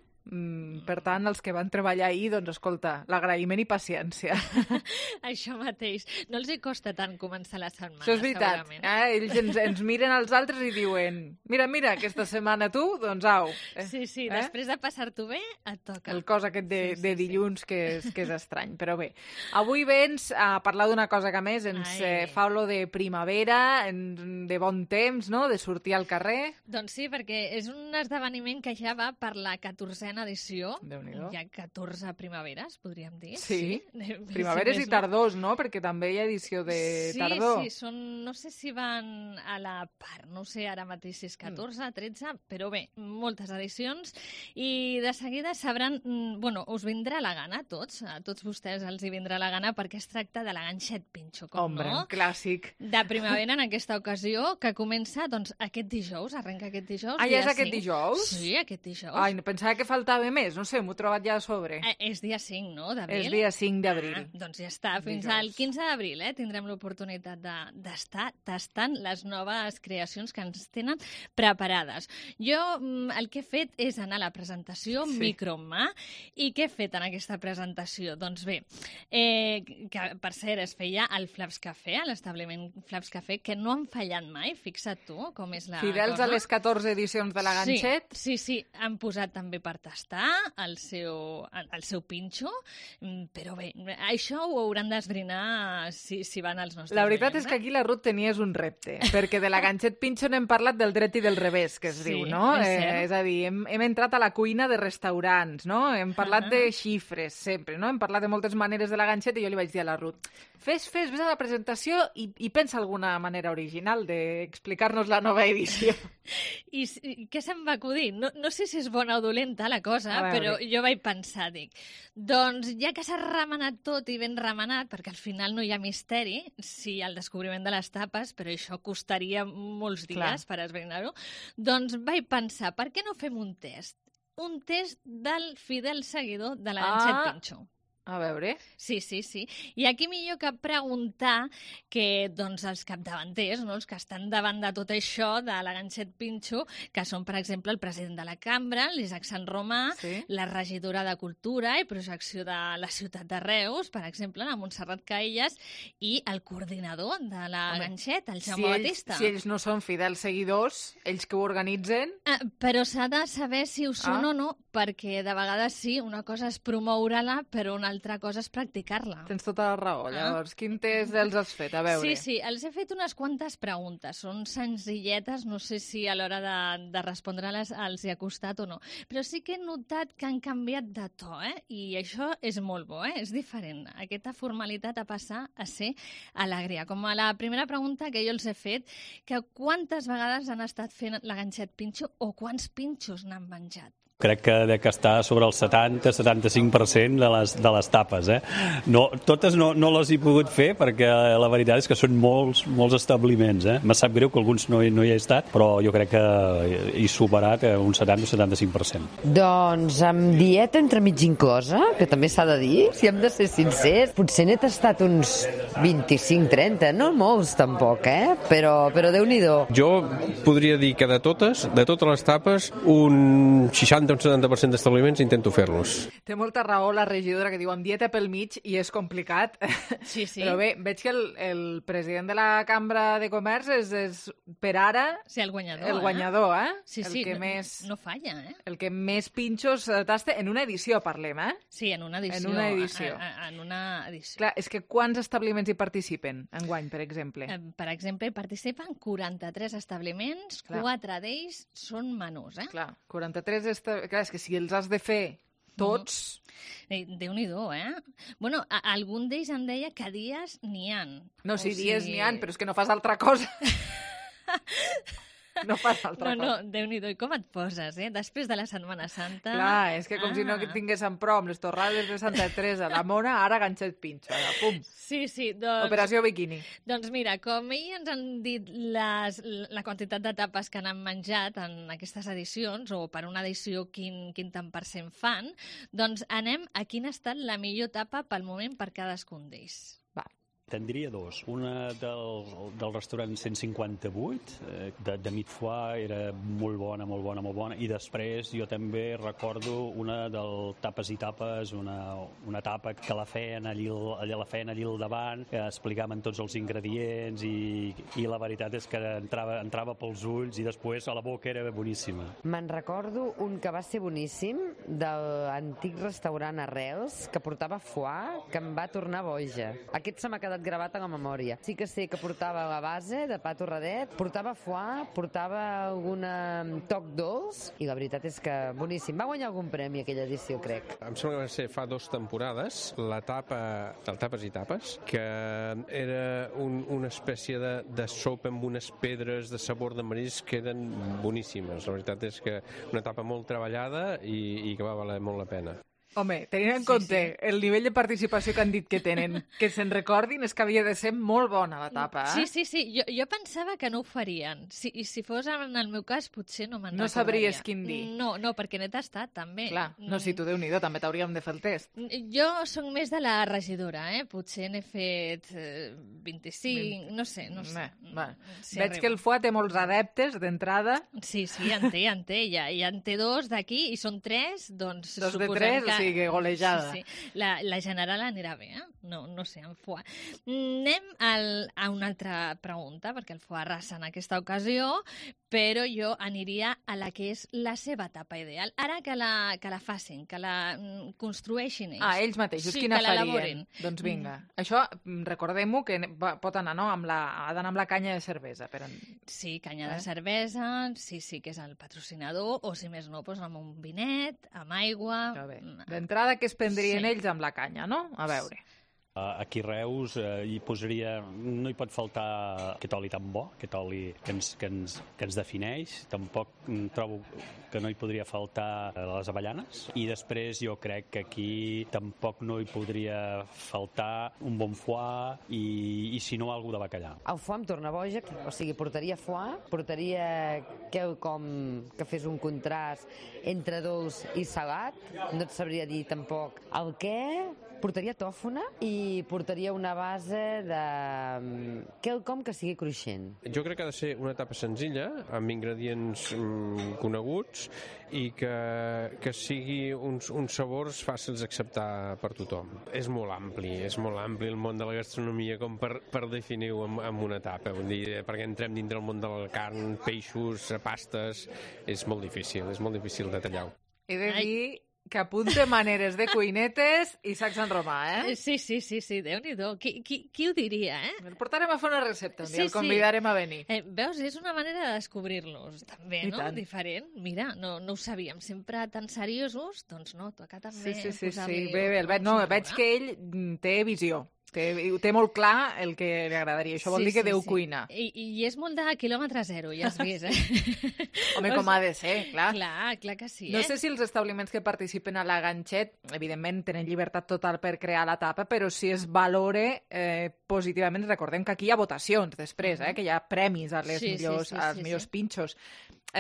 per tant, els que van treballar ahir, doncs, escolta, l'agraïment i paciència. Això mateix. No els hi costa tant començar la setmana, això és veritat. Ells ens miren als altres i diuen, mira, aquesta setmana tu, doncs au. Sí, després de passar-t'ho bé, et toca. El cos aquest de dilluns, que és estrany. Però bé, avui vens a parlar d'una cosa que més ens fa olor de primavera, de bon temps, no?, de sortir al carrer. Doncs sí, perquè és un esdeveniment que ja va per la 14a edició. Hi ha 14 primaveres, podríem dir. Sí, primaveres i tardors, no? Perquè també hi ha edició de tardor. Sí, no sé si van a la part, no sé ara mateix si és 14, 13, però bé, moltes edicions, i de seguida sabran, us vindrà la gana a tots vostès els hi vindrà la gana, perquè es tracta de la ganxet pinxo, Hombre, un clàssic. De primavera en aquesta ocasió, que comença, doncs, aquest dijous, arrenca aquest dijous. Ah, ja és aquest dijous? Sí, aquest dijous. Ai, pensava que faltava més, no sé, m'ho he trobat ja a sobre. És dia 5, no?, d'abril? És dia 5 d'abril. Doncs ja està, fins al 15 d'abril tindrem l'oportunitat d'estar tastant les noves creacions que ens tenen preparades. Jo el que he fet és anar a la presentació micro en mà. I què he fet en aquesta presentació? Doncs bé, que per cert es feia al Flaps Café, a l'establiment Flaps Café, que no han fallat mai, fixa't tu com és la Fidels cosa. A les 14 edicions de la ganxet. Sí, han posat també per tastar el seu pinxo, però bé, això ho hauran d'esbrinar si van als nostres La veritat és que aquí la Ruth tenies un repte, perquè de la ganxet pinxo n'hem parlat del dret i del revés, que es diu, no? És a dir, hem entrat a la cuina de restaurants, no? Hem parlat de xifres, sempre, no? Hem parlat de moltes maneres de la ganxet i jo li vaig dir a la Ruth, vés a la presentació i pensa alguna manera original d'explicar-nos la nova edició. I què se'm va acudir? No sé si és bona o dolenta la cosa, però jo vaig pensar, dic, doncs ja que s'ha remenat tot i ben remenat, perquè al final no hi ha misteri, sí, el descobriment de les tapes, però això costaria molts dies per esbrinar-ho, doncs vaig pensar, per què no fem un test? Un test del fidel seguidor de la Ganxet Pinxo. A veure. Sí. I aquí millor que preguntar que doncs, els capdavanters, no? Els que estan davant de tot això de la Ganxet Pinxo, que són, per exemple, el president de la Cambra, l'Isaac Sant Romà, la regidora de Cultura i Projecció de la ciutat de Reus, per exemple, la Montserrat Caillas, i el coordinador de la Ganxet, el Jaume Batista. Si ells no són fidels seguidors, ells que ho organitzen... Però s'ha de saber si ho són o no, perquè de vegades sí, una cosa és promoure-la, però una altra cosa és practicar-la. Tens tota la raó. Llavors, quin test els has fet? A veure. Sí, els he fet unes quantes preguntes. Són senzilletes, no sé si a l'hora de respondre-les els hi ha costat o no. Però sí que he notat que han canviat de to, I això és molt bo, És diferent. Aquesta formalitat a passar a ser alegria. Com a la primera pregunta que jo els he fet, que quantes vegades han estat fent la Ganxet Pinxo o quants pinxos n'han menjat? Crec que està sobre el 70-75% de les tapes. No, totes no les he pogut fer perquè la veritat és que són molts establiments. Me sap greu que alguns no hi he estat, però jo crec que he superat un 70-75%. Doncs amb dieta entremig inclosa, que també s'ha de dir, si hem de ser sincers, potser n'he tastat uns 25-30, no molts tampoc, però Déu-n'hi-do. Jo podria dir que de totes les tapes, un 60 un 70% d'establiments intento fer-los. Té molta raó la regidora que diu amb dieta pel mig i és complicat. Sí. Però bé, veig que el president de la Cambra de Comerç és per ara el guanyador. El guanyador, Sí, el que més, no falla, El que més pinxos tasta en una edició, parlem, Sí, en una edició. En una edició. En una edició. Clar, és que quants establiments hi participen enguany, per exemple? Per exemple, hi participen 43 establiments, 4 d'ells són menús, Clar, 43 Clar, és que si els has de fer tots... Déu-n'hi-do, Bueno, algun d'ells em deia que dies n'hi ha. No, sí, dies n'hi ha, però és que no fas altra cosa. No fas altra cosa. No, Déu-n'hi-do, i com et poses, Després de la Setmana Santa... Clar, és que com si no tinguéssim prou amb les torrades de Santa Teresa, la Mona, ara Ganxet Pinxo, pum. Sí, doncs... Operació Biquini. Doncs mira, com ells ens han dit la quantitat de tapes que han menjat en aquestes edicions, o per una edició quin tant per cent fan, doncs anem a quina ha estat la millor tapa pel moment per cadascun d'ells. Tindria dos. Una del restaurant 158, de Mit Foie, era molt bona, i després jo també recordo una del Tapes i Tapes, una tapa que la feien allí al davant, que explicaven tots els ingredients i la veritat és que entrava pels ulls i després a la boca era boníssima. Me'n recordo un que va ser boníssim, de l'antic restaurant Arrels, que portava foie, que em va tornar boja. Aquest se m'ha quedat gravat a la memòria. Sí que sé que portava la base de pa torradet, portava foie, portava algun toc dolç, i la veritat és que boníssim. Va guanyar algun premi aquella edició, crec. Em sembla que va ser fa 2 temporades, la tapa del Tapes i Tapes, que era una espècie de sopa amb unes pedres de sabor de marisc que eren boníssimes. La veritat és que una tapa molt treballada i que va valer molt la pena. Home, tenint en compte el nivell de participació que han dit que tenen, que se'n recordin, és que havia de ser molt bona la tapa, Sí. Jo pensava que no ho farien. Si fos en el meu cas, potser no me'n recordaria. No sabries quin dir. No, perquè n'he tastat, també. Clar, no, si tu Déu-n'hi-do, també t'hauríem de fer el test. Jo soc més de la regidora, Potser n'he fet 25, no sé. Veig que el foie té molts adeptes d'entrada. Sí, en té. Ja en té 2 d'aquí, i són 3, doncs suposem que... Sí, golejada. Sí. La general anirà bé, No sé, en foie. Anem a una altra pregunta, perquè el foie arrasa en aquesta ocasió, però jo aniria a la que és la seva tapa ideal. Ara que la facin, que la construeixin ells. Ells mateixos, quina farien? Doncs vinga. Això, recordem-ho, que pot anar, no? Ha d'anar amb la canya de cervesa. Sí, canya de cervesa, sí, que és el patrocinador, o si més no, doncs amb un vinet, amb aigua... D'entrada, què es prendrien ells amb la canya, no? A veure. Aquí a Reus hi posaria... No hi pot faltar aquest oli tan bo, aquest oli que ens defineix. Tampoc trobo que no hi podria faltar les avellanes. I després jo crec que aquí tampoc no hi podria faltar un bon foie i si no, algú de bacallà. El foie em torna boja, o sigui, portaria foie, portaria quelcom que fes un contrast entre dolç i salat, no et sabria dir tampoc el què. Portaria tòfona i portaria una base de quelcom que sigui cruixent. Jo crec que ha de ser una tapa senzilla, amb ingredients coneguts i que sigui uns sabors fàcils d'acceptar per tothom. És molt ampli el món de la gastronomia com per definir-ho amb una tapa. Vull dir, perquè entrem dintre el món de la carn, peixos, pastes, és molt difícil de tallar-ho. He de dir que apunte maneres de cuinetes i sacs en romà, eh? Sí, Déu-n'hi-do. Qui ho diria, eh? El portarem a fer una recepta, un dia el convidarem a venir. Veus, és una manera de descobrir-los, també, no? Diferent. Mira, no ho sabíem, sempre tan seriosos, doncs no, toca també posar-li... Bé, veig que ell té visió. Té molt clar el que li agradaria. Això vol dir que Déu cuina. I és molt de quilòmetre zero, ja has vist, eh? Home, com ha de ser, clar. Clar que sí, No sé si els establiments que participen a la Ganxet, evidentment, tenen llibertat total per crear la tapa, però si es valore positivament, recordem que aquí hi ha votacions després, que hi ha premis als millors pinxos.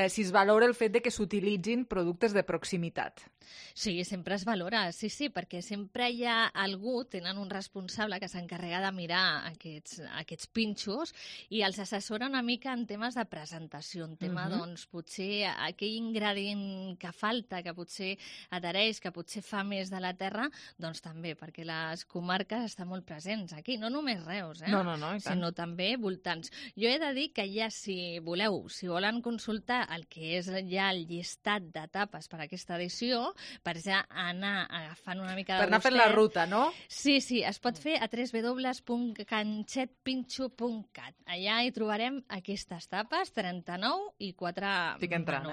Si es valora el fet de que s'utilitzin productes de proximitat. Sí, sempre es valora, sí, perquè sempre hi ha algú, tenen un responsable que s'encarrega de mirar aquests pinxos i els assessora una mica en temes de presentació, en tema, doncs, potser aquell ingredient que falta, que potser adhereix, que potser fa més de la terra, doncs també, perquè les comarques estan molt presents aquí, no només Reus, No, i tant. Sinó també voltants. Jo he de dir que ja, si volen consultar el que és ja el llistat de tapes per a aquesta edició, per ja anar agafant una mica de per anar fent la ruta, no? Sí, es pot fer a www.ganxetpinxo.cat. Allà hi trobarem aquestes tapes, 39 i 4 menús. Estic entrant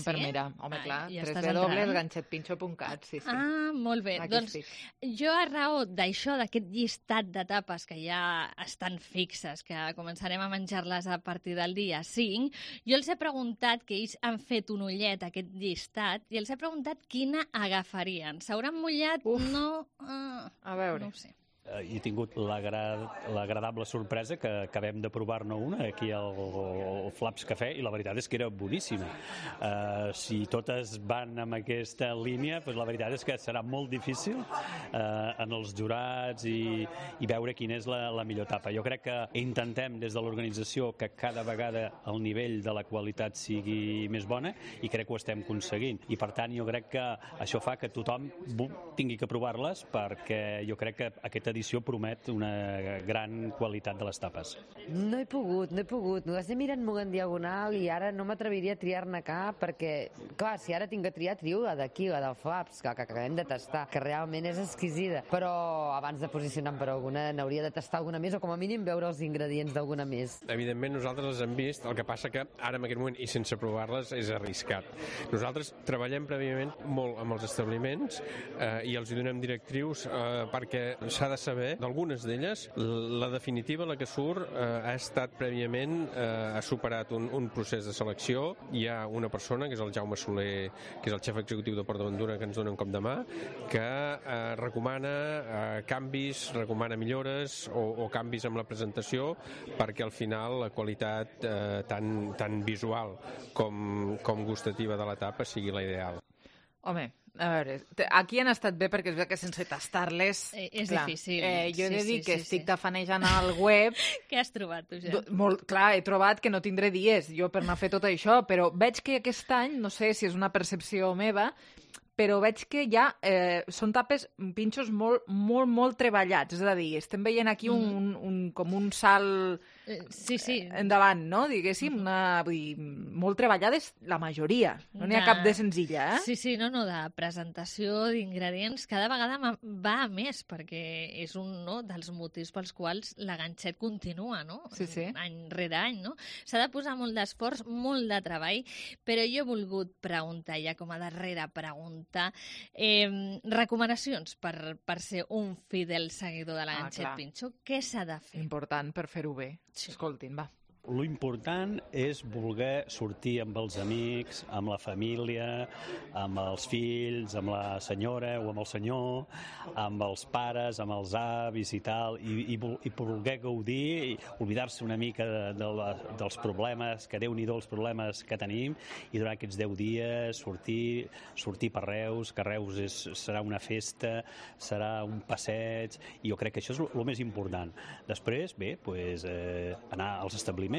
per mirar. Home, clar, www.ganxetpinxo.cat, sí. Ah, molt bé. Doncs jo, a raó d'això, d'aquest llistat de tapes que ja estan fixes, que començarem a menjar-les a partir del dia 5, jo els he preguntat, que ells han fet un ullet a aquest llistat, i els he preguntat quina agafarien. S'hauran mullat? No. A veure. No ho sé. He tingut l'agradable sorpresa que acabem de provar-ne una aquí al Flaps Cafè i la veritat és que era boníssima. Si totes van amb aquesta línia, doncs la veritat és que serà molt difícil en els jurats i veure quina és la millor tapa. Jo crec que intentem des de l'organització que cada vegada el nivell de la qualitat sigui més bona i crec que ho estem aconseguint. I per tant jo crec que això fa que tothom tingui que provar-les perquè jo crec que aquesta edició promet una gran qualitat de les tapes. No he pogut. M'ho estic mirant molt en diagonal i ara no m'atreviria a triar-ne cap perquè, clar, si ara tinc que triar, trio la d'aquí, la del Flaps, que acabem de tastar, que realment és exquisida. Però abans de posicionar-me per alguna, n'hauria de tastar alguna més o com a mínim veure els ingredients d'alguna més. Evidentment nosaltres les hem vist, el que passa que ara en aquest moment i sense provar-les és arriscat. Nosaltres treballem prèviament molt amb els establiments i els hi donem directrius perquè s'ha de saber, d'algunes d'elles, la definitiva, la que surt, ha estat prèviament, ha superat un procés de selecció. Hi ha una persona, que és el Jaume Soler, que és el xef executiu de Port d'Aventura, que ens dona un cop de mà, que recomana canvis, recomana millores o canvis amb la presentació perquè al final la qualitat tant visual com gustativa de la tapa sigui la ideal. Home, a veure, aquí han estat bé perquè és que sense tastar-les... És difícil. Jo he de dir que estic tafanejant al web... Què has trobat, tu, ja? Clar, he trobat que no tindré dies jo per anar a fer tot això, però veig que aquest any, no sé si és una percepció meva, però veig que ja són tapes, pinxos molt treballats. És a dir, estem veient aquí com un salt Sí. Endavant, no? Diguéssim, vull dir, molt treballades la majoria. No n'hi ha cap de senzilla, Sí, no, de presentació d'ingredients. Cada vegada va a més, perquè és un dels motius pels quals la ganxet continua, no? Sí. Any rere any, no? S'ha de posar molt d'esforç, molt de treball, però jo he volgut preguntar, ja com a darrera pregunta, recomanacions per ser un fidel seguidor de la ganxet pinxo. Què s'ha de fer? Important per fer-ho bé. Sí. Escoltin, va. Lo important és voler sortir amb els amics, amb la família, amb els fills, amb la senyora o amb el senyor, amb els pares, amb els avis i tal, i voler gaudir, i oblidar-se una mica dels problemes, que Déu-n'hi-do els problemes que tenim, i durant aquests 10 dies sortir per Reus, que Reus serà una festa, serà un passeig, i jo crec que això és el més important. Després, bé, anar als establiments,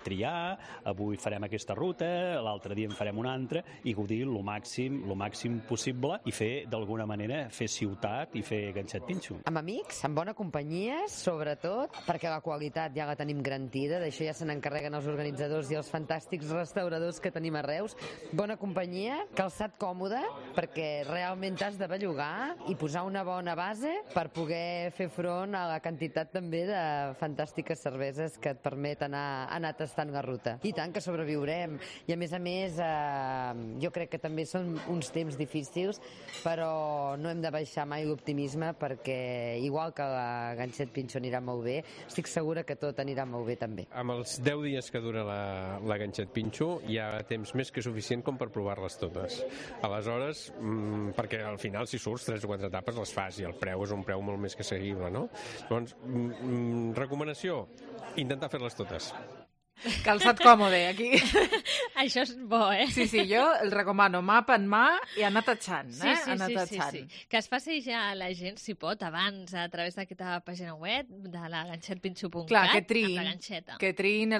triar, avui farem aquesta ruta, l'altre dia en farem una altra, i gaudir el màxim possible i fer, d'alguna manera, fer ciutat i fer ganxet pinxo. Amb amics, amb bona companyia, sobretot, perquè la qualitat ja la tenim garantida, d'això ja se n'encarreguen els organitzadors i els fantàstics restauradors que tenim a Reus. Bona companyia, calçat còmode, perquè realment t'has de bellugar i posar una bona base per poder fer front a la quantitat també de fantàstiques cerveses que et permeten anar tastant la ruta. I tant que sobreviurem. I a més, jo crec que també són uns temps difícils, però no hem de baixar mai l'optimisme perquè, igual que la ganxet pinxo anirà molt bé, estic segura que tot anirà molt bé també. Amb els 10 dies que dura la ganxet pinxo hi ha temps més que suficient com per provar-les totes. Aleshores, perquè al final si surts 3 o 4 etapes les fas i el preu és un preu molt més que seguible, no? Llavors, recomanació, intentar fer-les totes. Calçat còmode, aquí. Això és bo, Sí, jo el recomano, mapa en mà i anar tatxant, Sí. Que es faci ja la gent, si pot, abans, a través d'aquesta pàgina web de la ganxetpinxo.cat. Clar, que triïn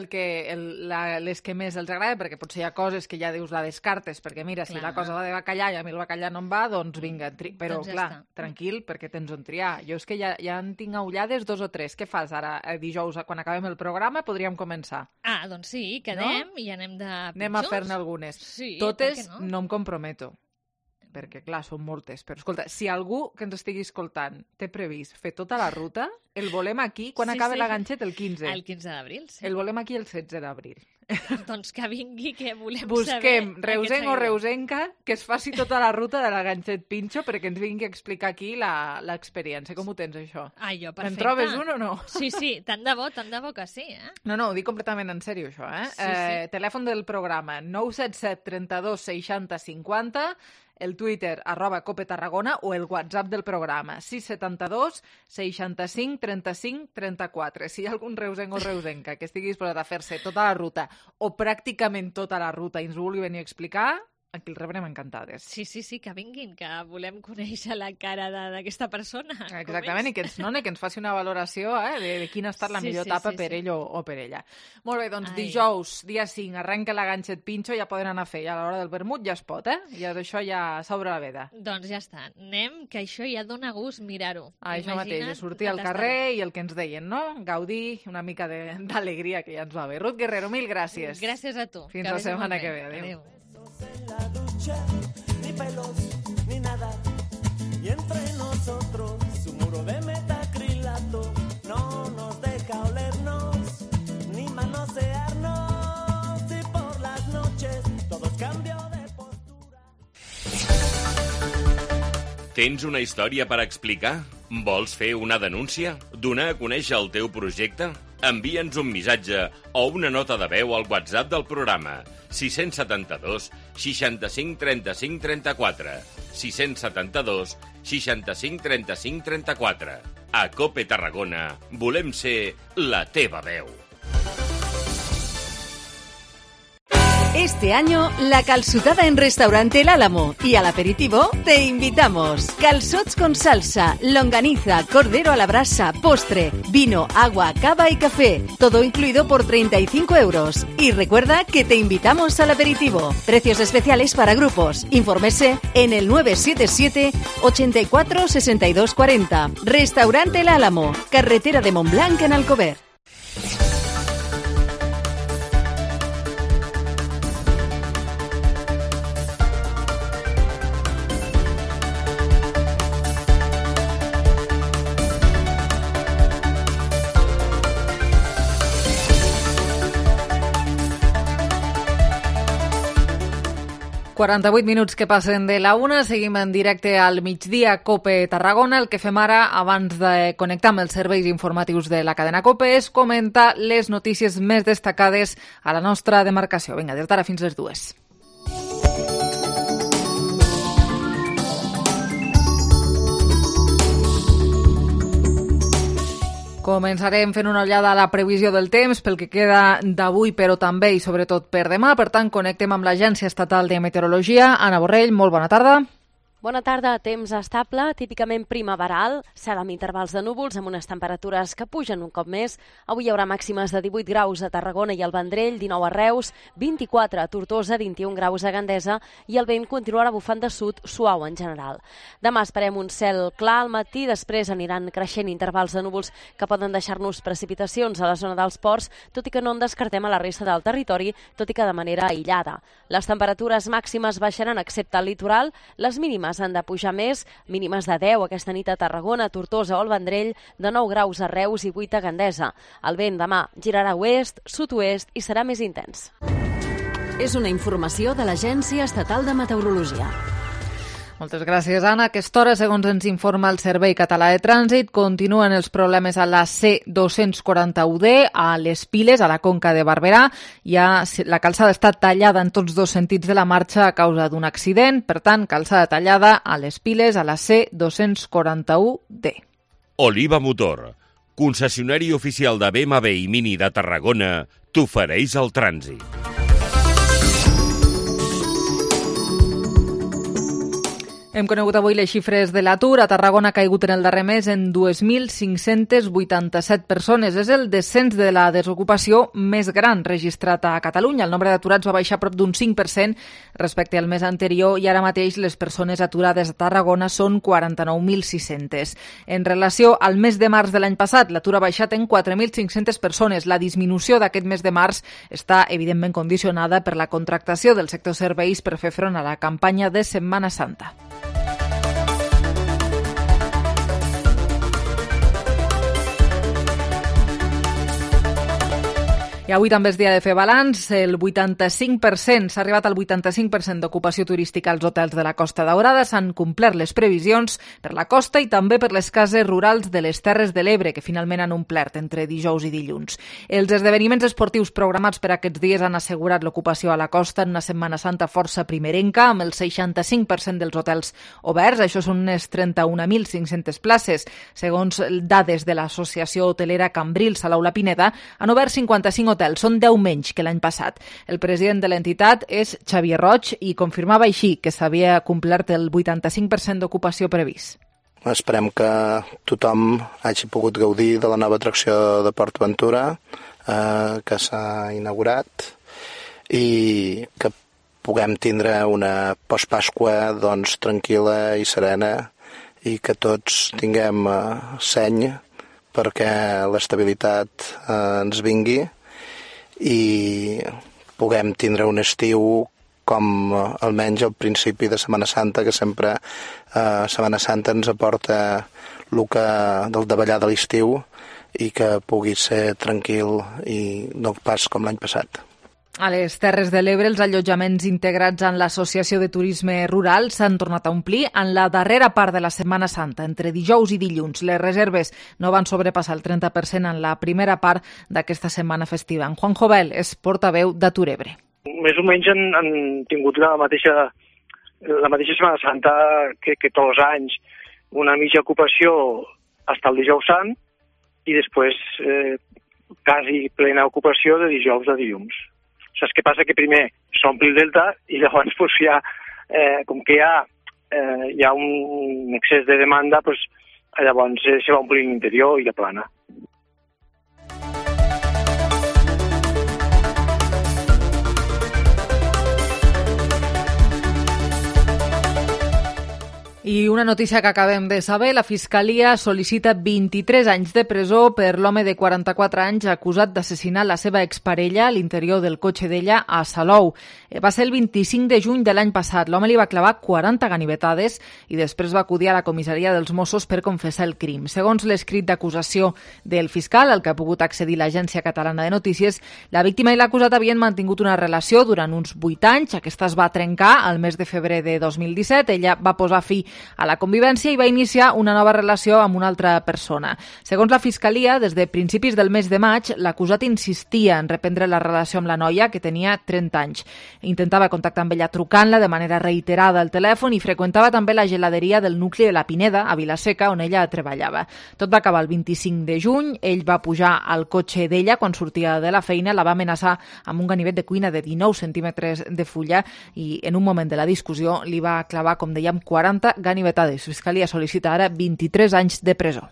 les que més els agrada, perquè potser hi ha coses que ja dius la descartes, perquè mira, si la cosa va de bacallà i a mi el bacallà no em va, doncs vinga, però clar, tranquil, perquè tens on triar. Jo és que ja en tinc aullades 2 o 3. Què fas ara, dijous, quan acabem el programa, podríem començar? Doncs sí, quedem i anem de pitjors. Anem a fer-ne algunes. Sí, totes no em comprometo, perquè clar, són moltes. Però escolta, si algú que ens estigui escoltant té previst fer tota la ruta, el volem aquí quan acabi la ganxet el 15. El 15 d'abril, sí. El volem aquí el 16 d'abril. Doncs que vingui, que volem saber. Busquem reusenc o reusenca que es faci tota la ruta de la ganxet pinxo perquè ens vingui a explicar aquí l'experiència. Com ho tens, això? Jo, perfecte. En trobes un o no? Sí, tant de bo que sí, No, ho dic completament en sèrio, això, Sí. Telèfon del programa 977 32 60 50, el Twitter @copetarragona o el WhatsApp del programa 672 65 35 34. Si hi ha algun reusenc o reusenca que estigui disposat a fer-se tota la ruta o pràcticament tota la ruta i ens vulgui venir a explicar, aquí el rebrem encantades. Sí, que vinguin, que volem conèixer la cara d'aquesta persona. Exactament, i que ens faci una valoració de quina ha estat la millor etapa per ell o per ella. Molt bé, doncs dijous, dia 5, arrenca la ganxet pinxo, ja poden anar a fer, ja a l'hora del vermut ja es pot, Ja d'això ja s'obre la veda. Doncs ja està, anem, que això ja dona gust mirar-ho. Això mateix, de sortir al carrer i el que ens deien, no? Gaudir una mica d'alegria, que ja ens va bé. Ruth Guerrero, mil gràcies. Gràcies a tu. Fins la setmana que ve. Adéu. En la ducha, ni pelos, ni nada. Y entre nosotros, su muro de metacrilato no nos deja olernos, ni manosearnos. Y por las noches, todo cambio de postura. Tens una història per explicar? Vols fer una denúncia? Donar a conèixer el teu projecte? Envia'ns un missatge o una nota de veu al WhatsApp del programa 672 65 35 34 672 65 35 34. A COPE Tarragona volem ser la teva veu. Este año, la calçotada en Restaurante El Álamo y al aperitivo te invitamos. Calçots con salsa, longaniza, cordero a la brasa, postre, vino, agua, cava y café. Todo incluido por 35 €. Y recuerda que te invitamos al aperitivo. Precios especiales para grupos. Infórmese en el 977 84 62 40. Restaurante El Álamo, carretera de Montblanc en Alcover. 48 minuts que passen de la 1, seguim en directe al migdia COPE Tarragona. El que fem ara, abans de connectar amb els serveis informatius de la cadena COPE, és comentar les notícies més destacades a la nostra demarcació. Vinga, des d'ara fins les 2. Començarem fent una ullada a la previsió del temps pel que queda d'avui, però també i sobretot per demà. Per tant, connectem amb l'Agència Estatal de Meteorologia. Anna Borrell, molt bona tarda. Bona tarda, temps estable, típicament primaveral, cel amb intervals de núvols amb unes temperatures que pugen un cop més. Avui hi haurà màximes de 18 graus a Tarragona i al Vendrell, 19 a Reus, 24 a Tortosa, 21 graus a Gandesa i el vent continuarà bufant de sud suau en general. Demà esperem un cel clar al matí, després aniran creixent intervals de núvols que poden deixar-nos precipitacions a la zona dels ports, tot i que no en descartem a la resta del territori, tot i que de manera aïllada. Les temperatures màximes baixaran excepte al litoral, les mínimes han de pujar més, mínimes de 10 aquesta nit a Tarragona, Tortosa o el Vendrell, de 9 graus a Reus i 8 a Gandesa. El vent demà girarà oest, sud-oest i serà més intens. És una informació de l'Agència Estatal de Meteorologia. Moltes gràcies, Anna. A aquesta hora, segons ens informa el Servei Català de Trànsit, continuen els problemes a la C241D, a les Piles, a la Conca de Barberà. La calçada està tallada en tots dos sentits de la marxa a causa d'un accident. Per tant, calçada tallada a les Piles, a la C241D. Oliva Motor, concessionari oficial de BMW i Mini de Tarragona, t'ofereix el trànsit. Hem conegut avui les xifres de l'atur. A Tarragona ha caigut en el darrer mes en 2.587 persones. És el descens de la desocupació més gran registrat a Catalunya. El nombre d'aturats va baixar prop d'un 5% respecte al mes anterior i ara mateix les persones aturades a Tarragona són 49.600. En relació al mes de març de l'any passat, l'atur ha baixat en 4.500 persones. La disminució d'aquest mes de març està evidentment condicionada per la contractació del sector serveis per fer front a la campanya de Setmana Santa. I avui també és dia de fer balanç. El 85%, s'ha arribat al 85% d'ocupació turística als hotels de la Costa Daurada. S'han complert les previsions per la costa i també per les cases rurals de les Terres de l'Ebre, que finalment han omplert entre dijous i dilluns. Els esdeveniments esportius programats per aquests dies han assegurat l'ocupació a la costa en una Setmana Santa força primerenca, amb el 65% dels hotels oberts. Això són unes 31.500 places. Segons dades de l'Associació Hotelera Cambrils a l'Aula Pineda, han obert 55 hotels, són 10 menys que l'any passat. El president de l'entitat és Xavier Roig i confirmava així que s'havia complert el 85% d'ocupació previst. Esperem que tothom hagi pogut gaudir de la nova atracció de PortAventura que s'ha inaugurat i que puguem tindre una postpasqua doncs, tranquil·la i serena i que tots tinguem seny perquè l'estabilitat ens vingui i puguem tindre un estiu com almenys al principi de Setmana Santa, que sempre Setmana Santa ens aporta el que del davallar de l'estiu i que pugui ser tranquil i no pas com l'any passat. A les Terres de l'Ebre, els allotjaments integrats en l'Associació de Turisme Rural s'han tornat a omplir en la darrera part de la Setmana Santa, entre dijous i dilluns. Les reserves no van sobrepassar el 30% en la primera part d'aquesta setmana festiva. En Juan Jovel és portaveu d'Atur Ebre. Més o menys han tingut la mateixa Setmana Santa que tots els anys. Una mitja ocupació fins al dijous sant i després quasi plena ocupació de dijous a dilluns. Saps què passa? Que primer s'ompli el delta i llavors pues, com que hi ha un excés de demanda, pues, llavors se va omplir l'interior i la plana. I una notícia que acabem de saber, la Fiscalia sol·licita 23 anys de presó per l'home de 44 anys acusat d'assassinar la seva exparella a l'interior del cotxe d'ella a Salou. Va ser el 25 de juny de l'any passat. L'home li va clavar 40 ganivetades i després va acudir a la comissaria dels Mossos per confessar el crim. Segons l'escrit d'acusació del fiscal, al que ha pogut accedir l'Agència Catalana de Notícies, la víctima i l'acusat havien mantingut una relació durant uns 8 anys. Aquesta es va trencar al mes de febrer de 2017. Ella va posar fi a la convivència i va iniciar una nova relació amb una altra persona. Segons la Fiscalia, des de principis del mes de maig, l'acusat insistia en reprendre la relació amb la noia, que tenia 30 anys. Intentava contactar amb ella trucant-la de manera reiterada al telèfon i freqüentava també la geladeria del nucli de la Pineda, a Vilaseca, on ella treballava. Tot va acabar el 25 de juny. Ell va pujar al cotxe d'ella quan sortia de la feina, la va amenaçar amb un ganivet de cuina de 19 centímetres de fulla i en un moment de la discussió li va clavar, com dèiem, 40 ganivetades. La Fiscalia sol·licita ara 23 anys de presó.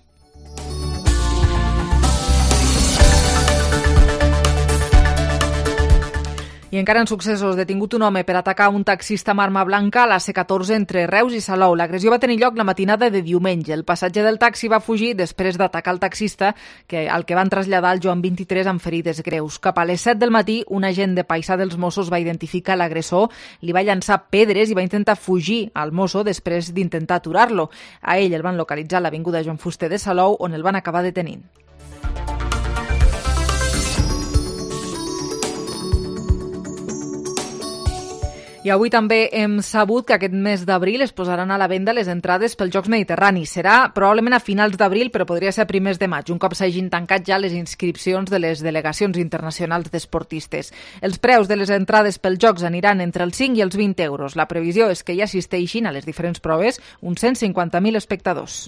I encara en successos, detingut un home per atacar un taxista amb arma blanca a la C14 entre Reus i Salou. L'agressió va tenir lloc la matinada de diumenge. El passatger del taxi va fugir després d'atacar el taxista, al que van traslladar el Joan 23 amb ferides greus. Cap a les 7 del matí, un agent de paisà dels Mossos va identificar l'agressor, li va llançar pedres i va intentar fugir al mosso després d'intentar aturar-lo. A ell el van localitzar a l'avinguda Joan Fuster de Salou, on el van acabar detenint. I avui també hem sabut que aquest mes d'abril es posaran a la venda les entrades pels Jocs Mediterranis. Serà probablement a finals d'abril, però podria ser a primers de maig, un cop s'hagin tancat ja les inscripcions de les delegacions internacionals d'esportistes. Els preus de les entrades pels Jocs aniran entre els 5 i els 20 euros. La previsió és que hi assisteixin a les diferents proves uns 150.000 espectadors.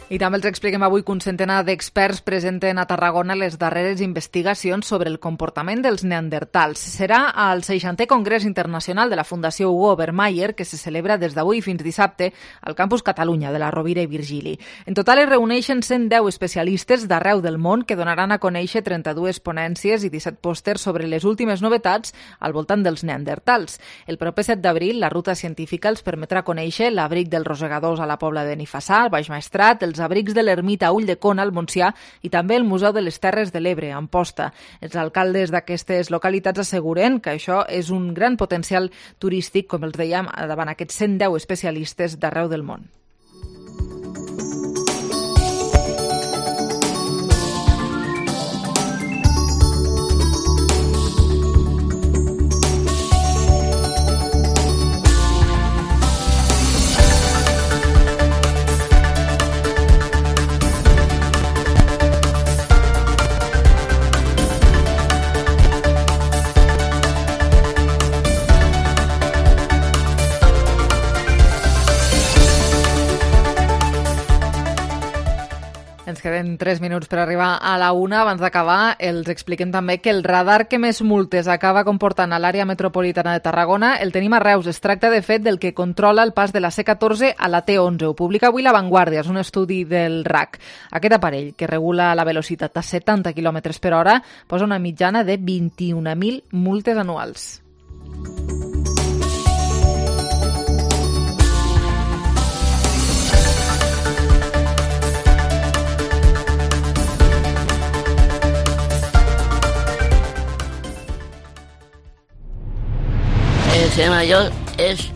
I també els expliquem avui que un centenar d'experts presenten a Tarragona les darreres investigacions sobre el comportament dels neandertals. Serà al 60è Congrés Internacional de la Fundació Hugo Obermeier, que se celebra des d'avui fins dissabte al Campus Catalunya de la Rovira i Virgili. En total es reuneixen 110 especialistes d'arreu del món que donaran a conèixer 32 ponències i 17 pòsters sobre les últimes novetats al voltant dels neandertals. El proper 7 d'abril, la ruta científica els permetrà conèixer l'abric dels rosegadors a la Pobla de Benifassà, al Baix Maestrat, els abrics de l'ermita a Ulldecona, al Montsià, i també el Museu de les Terres de l'Ebre, a Amposta. Els alcaldes d'aquestes localitats asseguren que això és un gran potencial turístic, com els dèiem, davant aquests 110 especialistes d'arreu del món. Ens queden 3 minuts per arribar a la 1. Abans d'acabar, els expliquem també que el radar que més multes acaba comportant a l'àrea metropolitana de Tarragona el tenim a Reus. Es tracta, de fet, del que controla el pas de la C14 a la T11. Ho publica avui La Vanguardia, és un estudi del RAC. Aquest aparell, que regula la velocitat a 70 km per hora, posa una mitjana de 21.000 multes anuals. El señor mayor es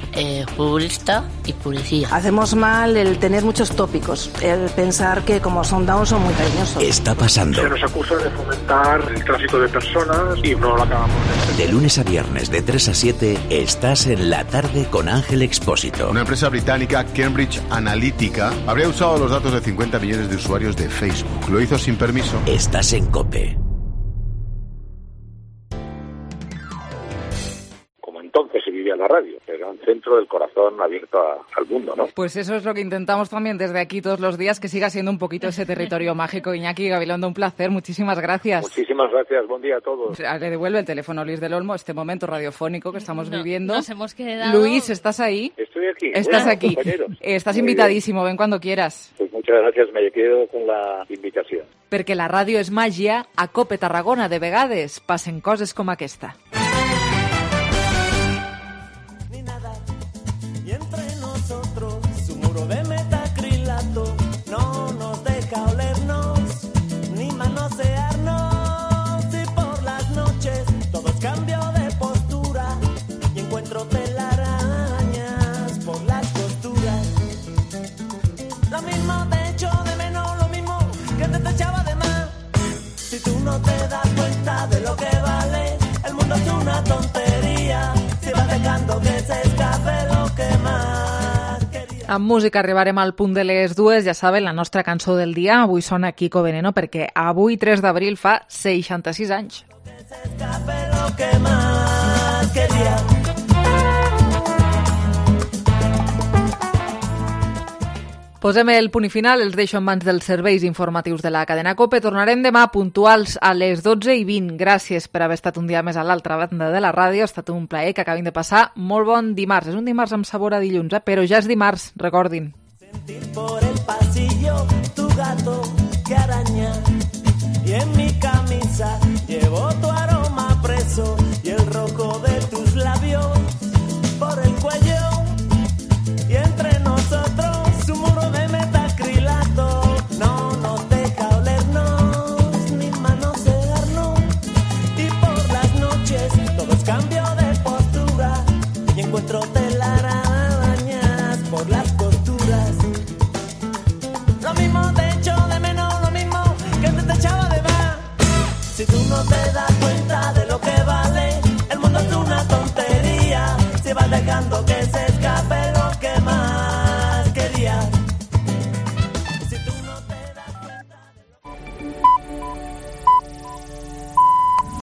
futbolista y policía. Hacemos mal el tener muchos tópicos, el pensar que como son down son muy cariñosos. Está pasando. Se nos acusa de fomentar el tráfico de personas y no lo acabamos de entender. De lunes a viernes de 3 a 7 estás en La Tarde con Ángel Expósito. Una empresa británica, Cambridge Analytica, habría usado los datos de 50 millones de usuarios de Facebook. Lo hizo sin permiso. Estás en COPE. Entonces se vivía la radio, era un centro del corazón abierto al mundo, ¿no? Pues eso es lo que intentamos también desde aquí todos los días, que siga siendo un poquito ese territorio mágico. Iñaki Gabilondo, un placer, muchísimas gracias. Muchísimas gracias, buen día a todos. Le devuelve el teléfono Luis del Olmo, este momento radiofónico que estamos viviendo. Nos hemos quedado... Luis, ¿estás ahí? Estoy aquí. Estás aquí. Compañeros. Estás Muy invitadísimo, ven cuando quieras. Pues Muchas gracias, me quedo con la invitación. Perquè la ràdio és màgia, a COPE Tarragona de vegades passen coses com aquesta. Y entre nosotros su muro de metacrilato no nos deja olernos ni manosearnos, y por las noches todos cambio de postura y encuentro telarañas por las costuras. Lo mismo te echo de menos, lo mismo que te echaba de más. Si tú no te das cuenta de lo que vale, el mundo es una tontería. Si vas dejando que se escape lo que más quería. Amb música arribarem al punt de les 2, ja saben, la nostra cançó del dia. Avui sona Kiko Veneno perquè avui, 3 d'abril, fa 66 anys. Que se escape lo que más quería. Posem el punt i final, els deixo en mans dels serveis informatius de la cadena COPE. Tornarem demà puntuals a les 12:20. Gràcies per haver estat un dia més a l'altra banda de la ràdio. Ha estat un plaer que acabin de passar molt bon dimarts. És un dimarts amb sabor a dilluns, però ja és dimarts, recordin. Sentir por el pasillo tu gato que araña, y en mi camisa llevo tu aroma preso y el rojo de tus labios por el cuello, y entre nosotros su muro de metacrilato no nos deja olernos ni manosearnos, y por las noches todos cambio de postura y encuentro telarañas por las costuras. Lo mismo te echo de menos, lo mismo que te echaba de más. Si tú no te das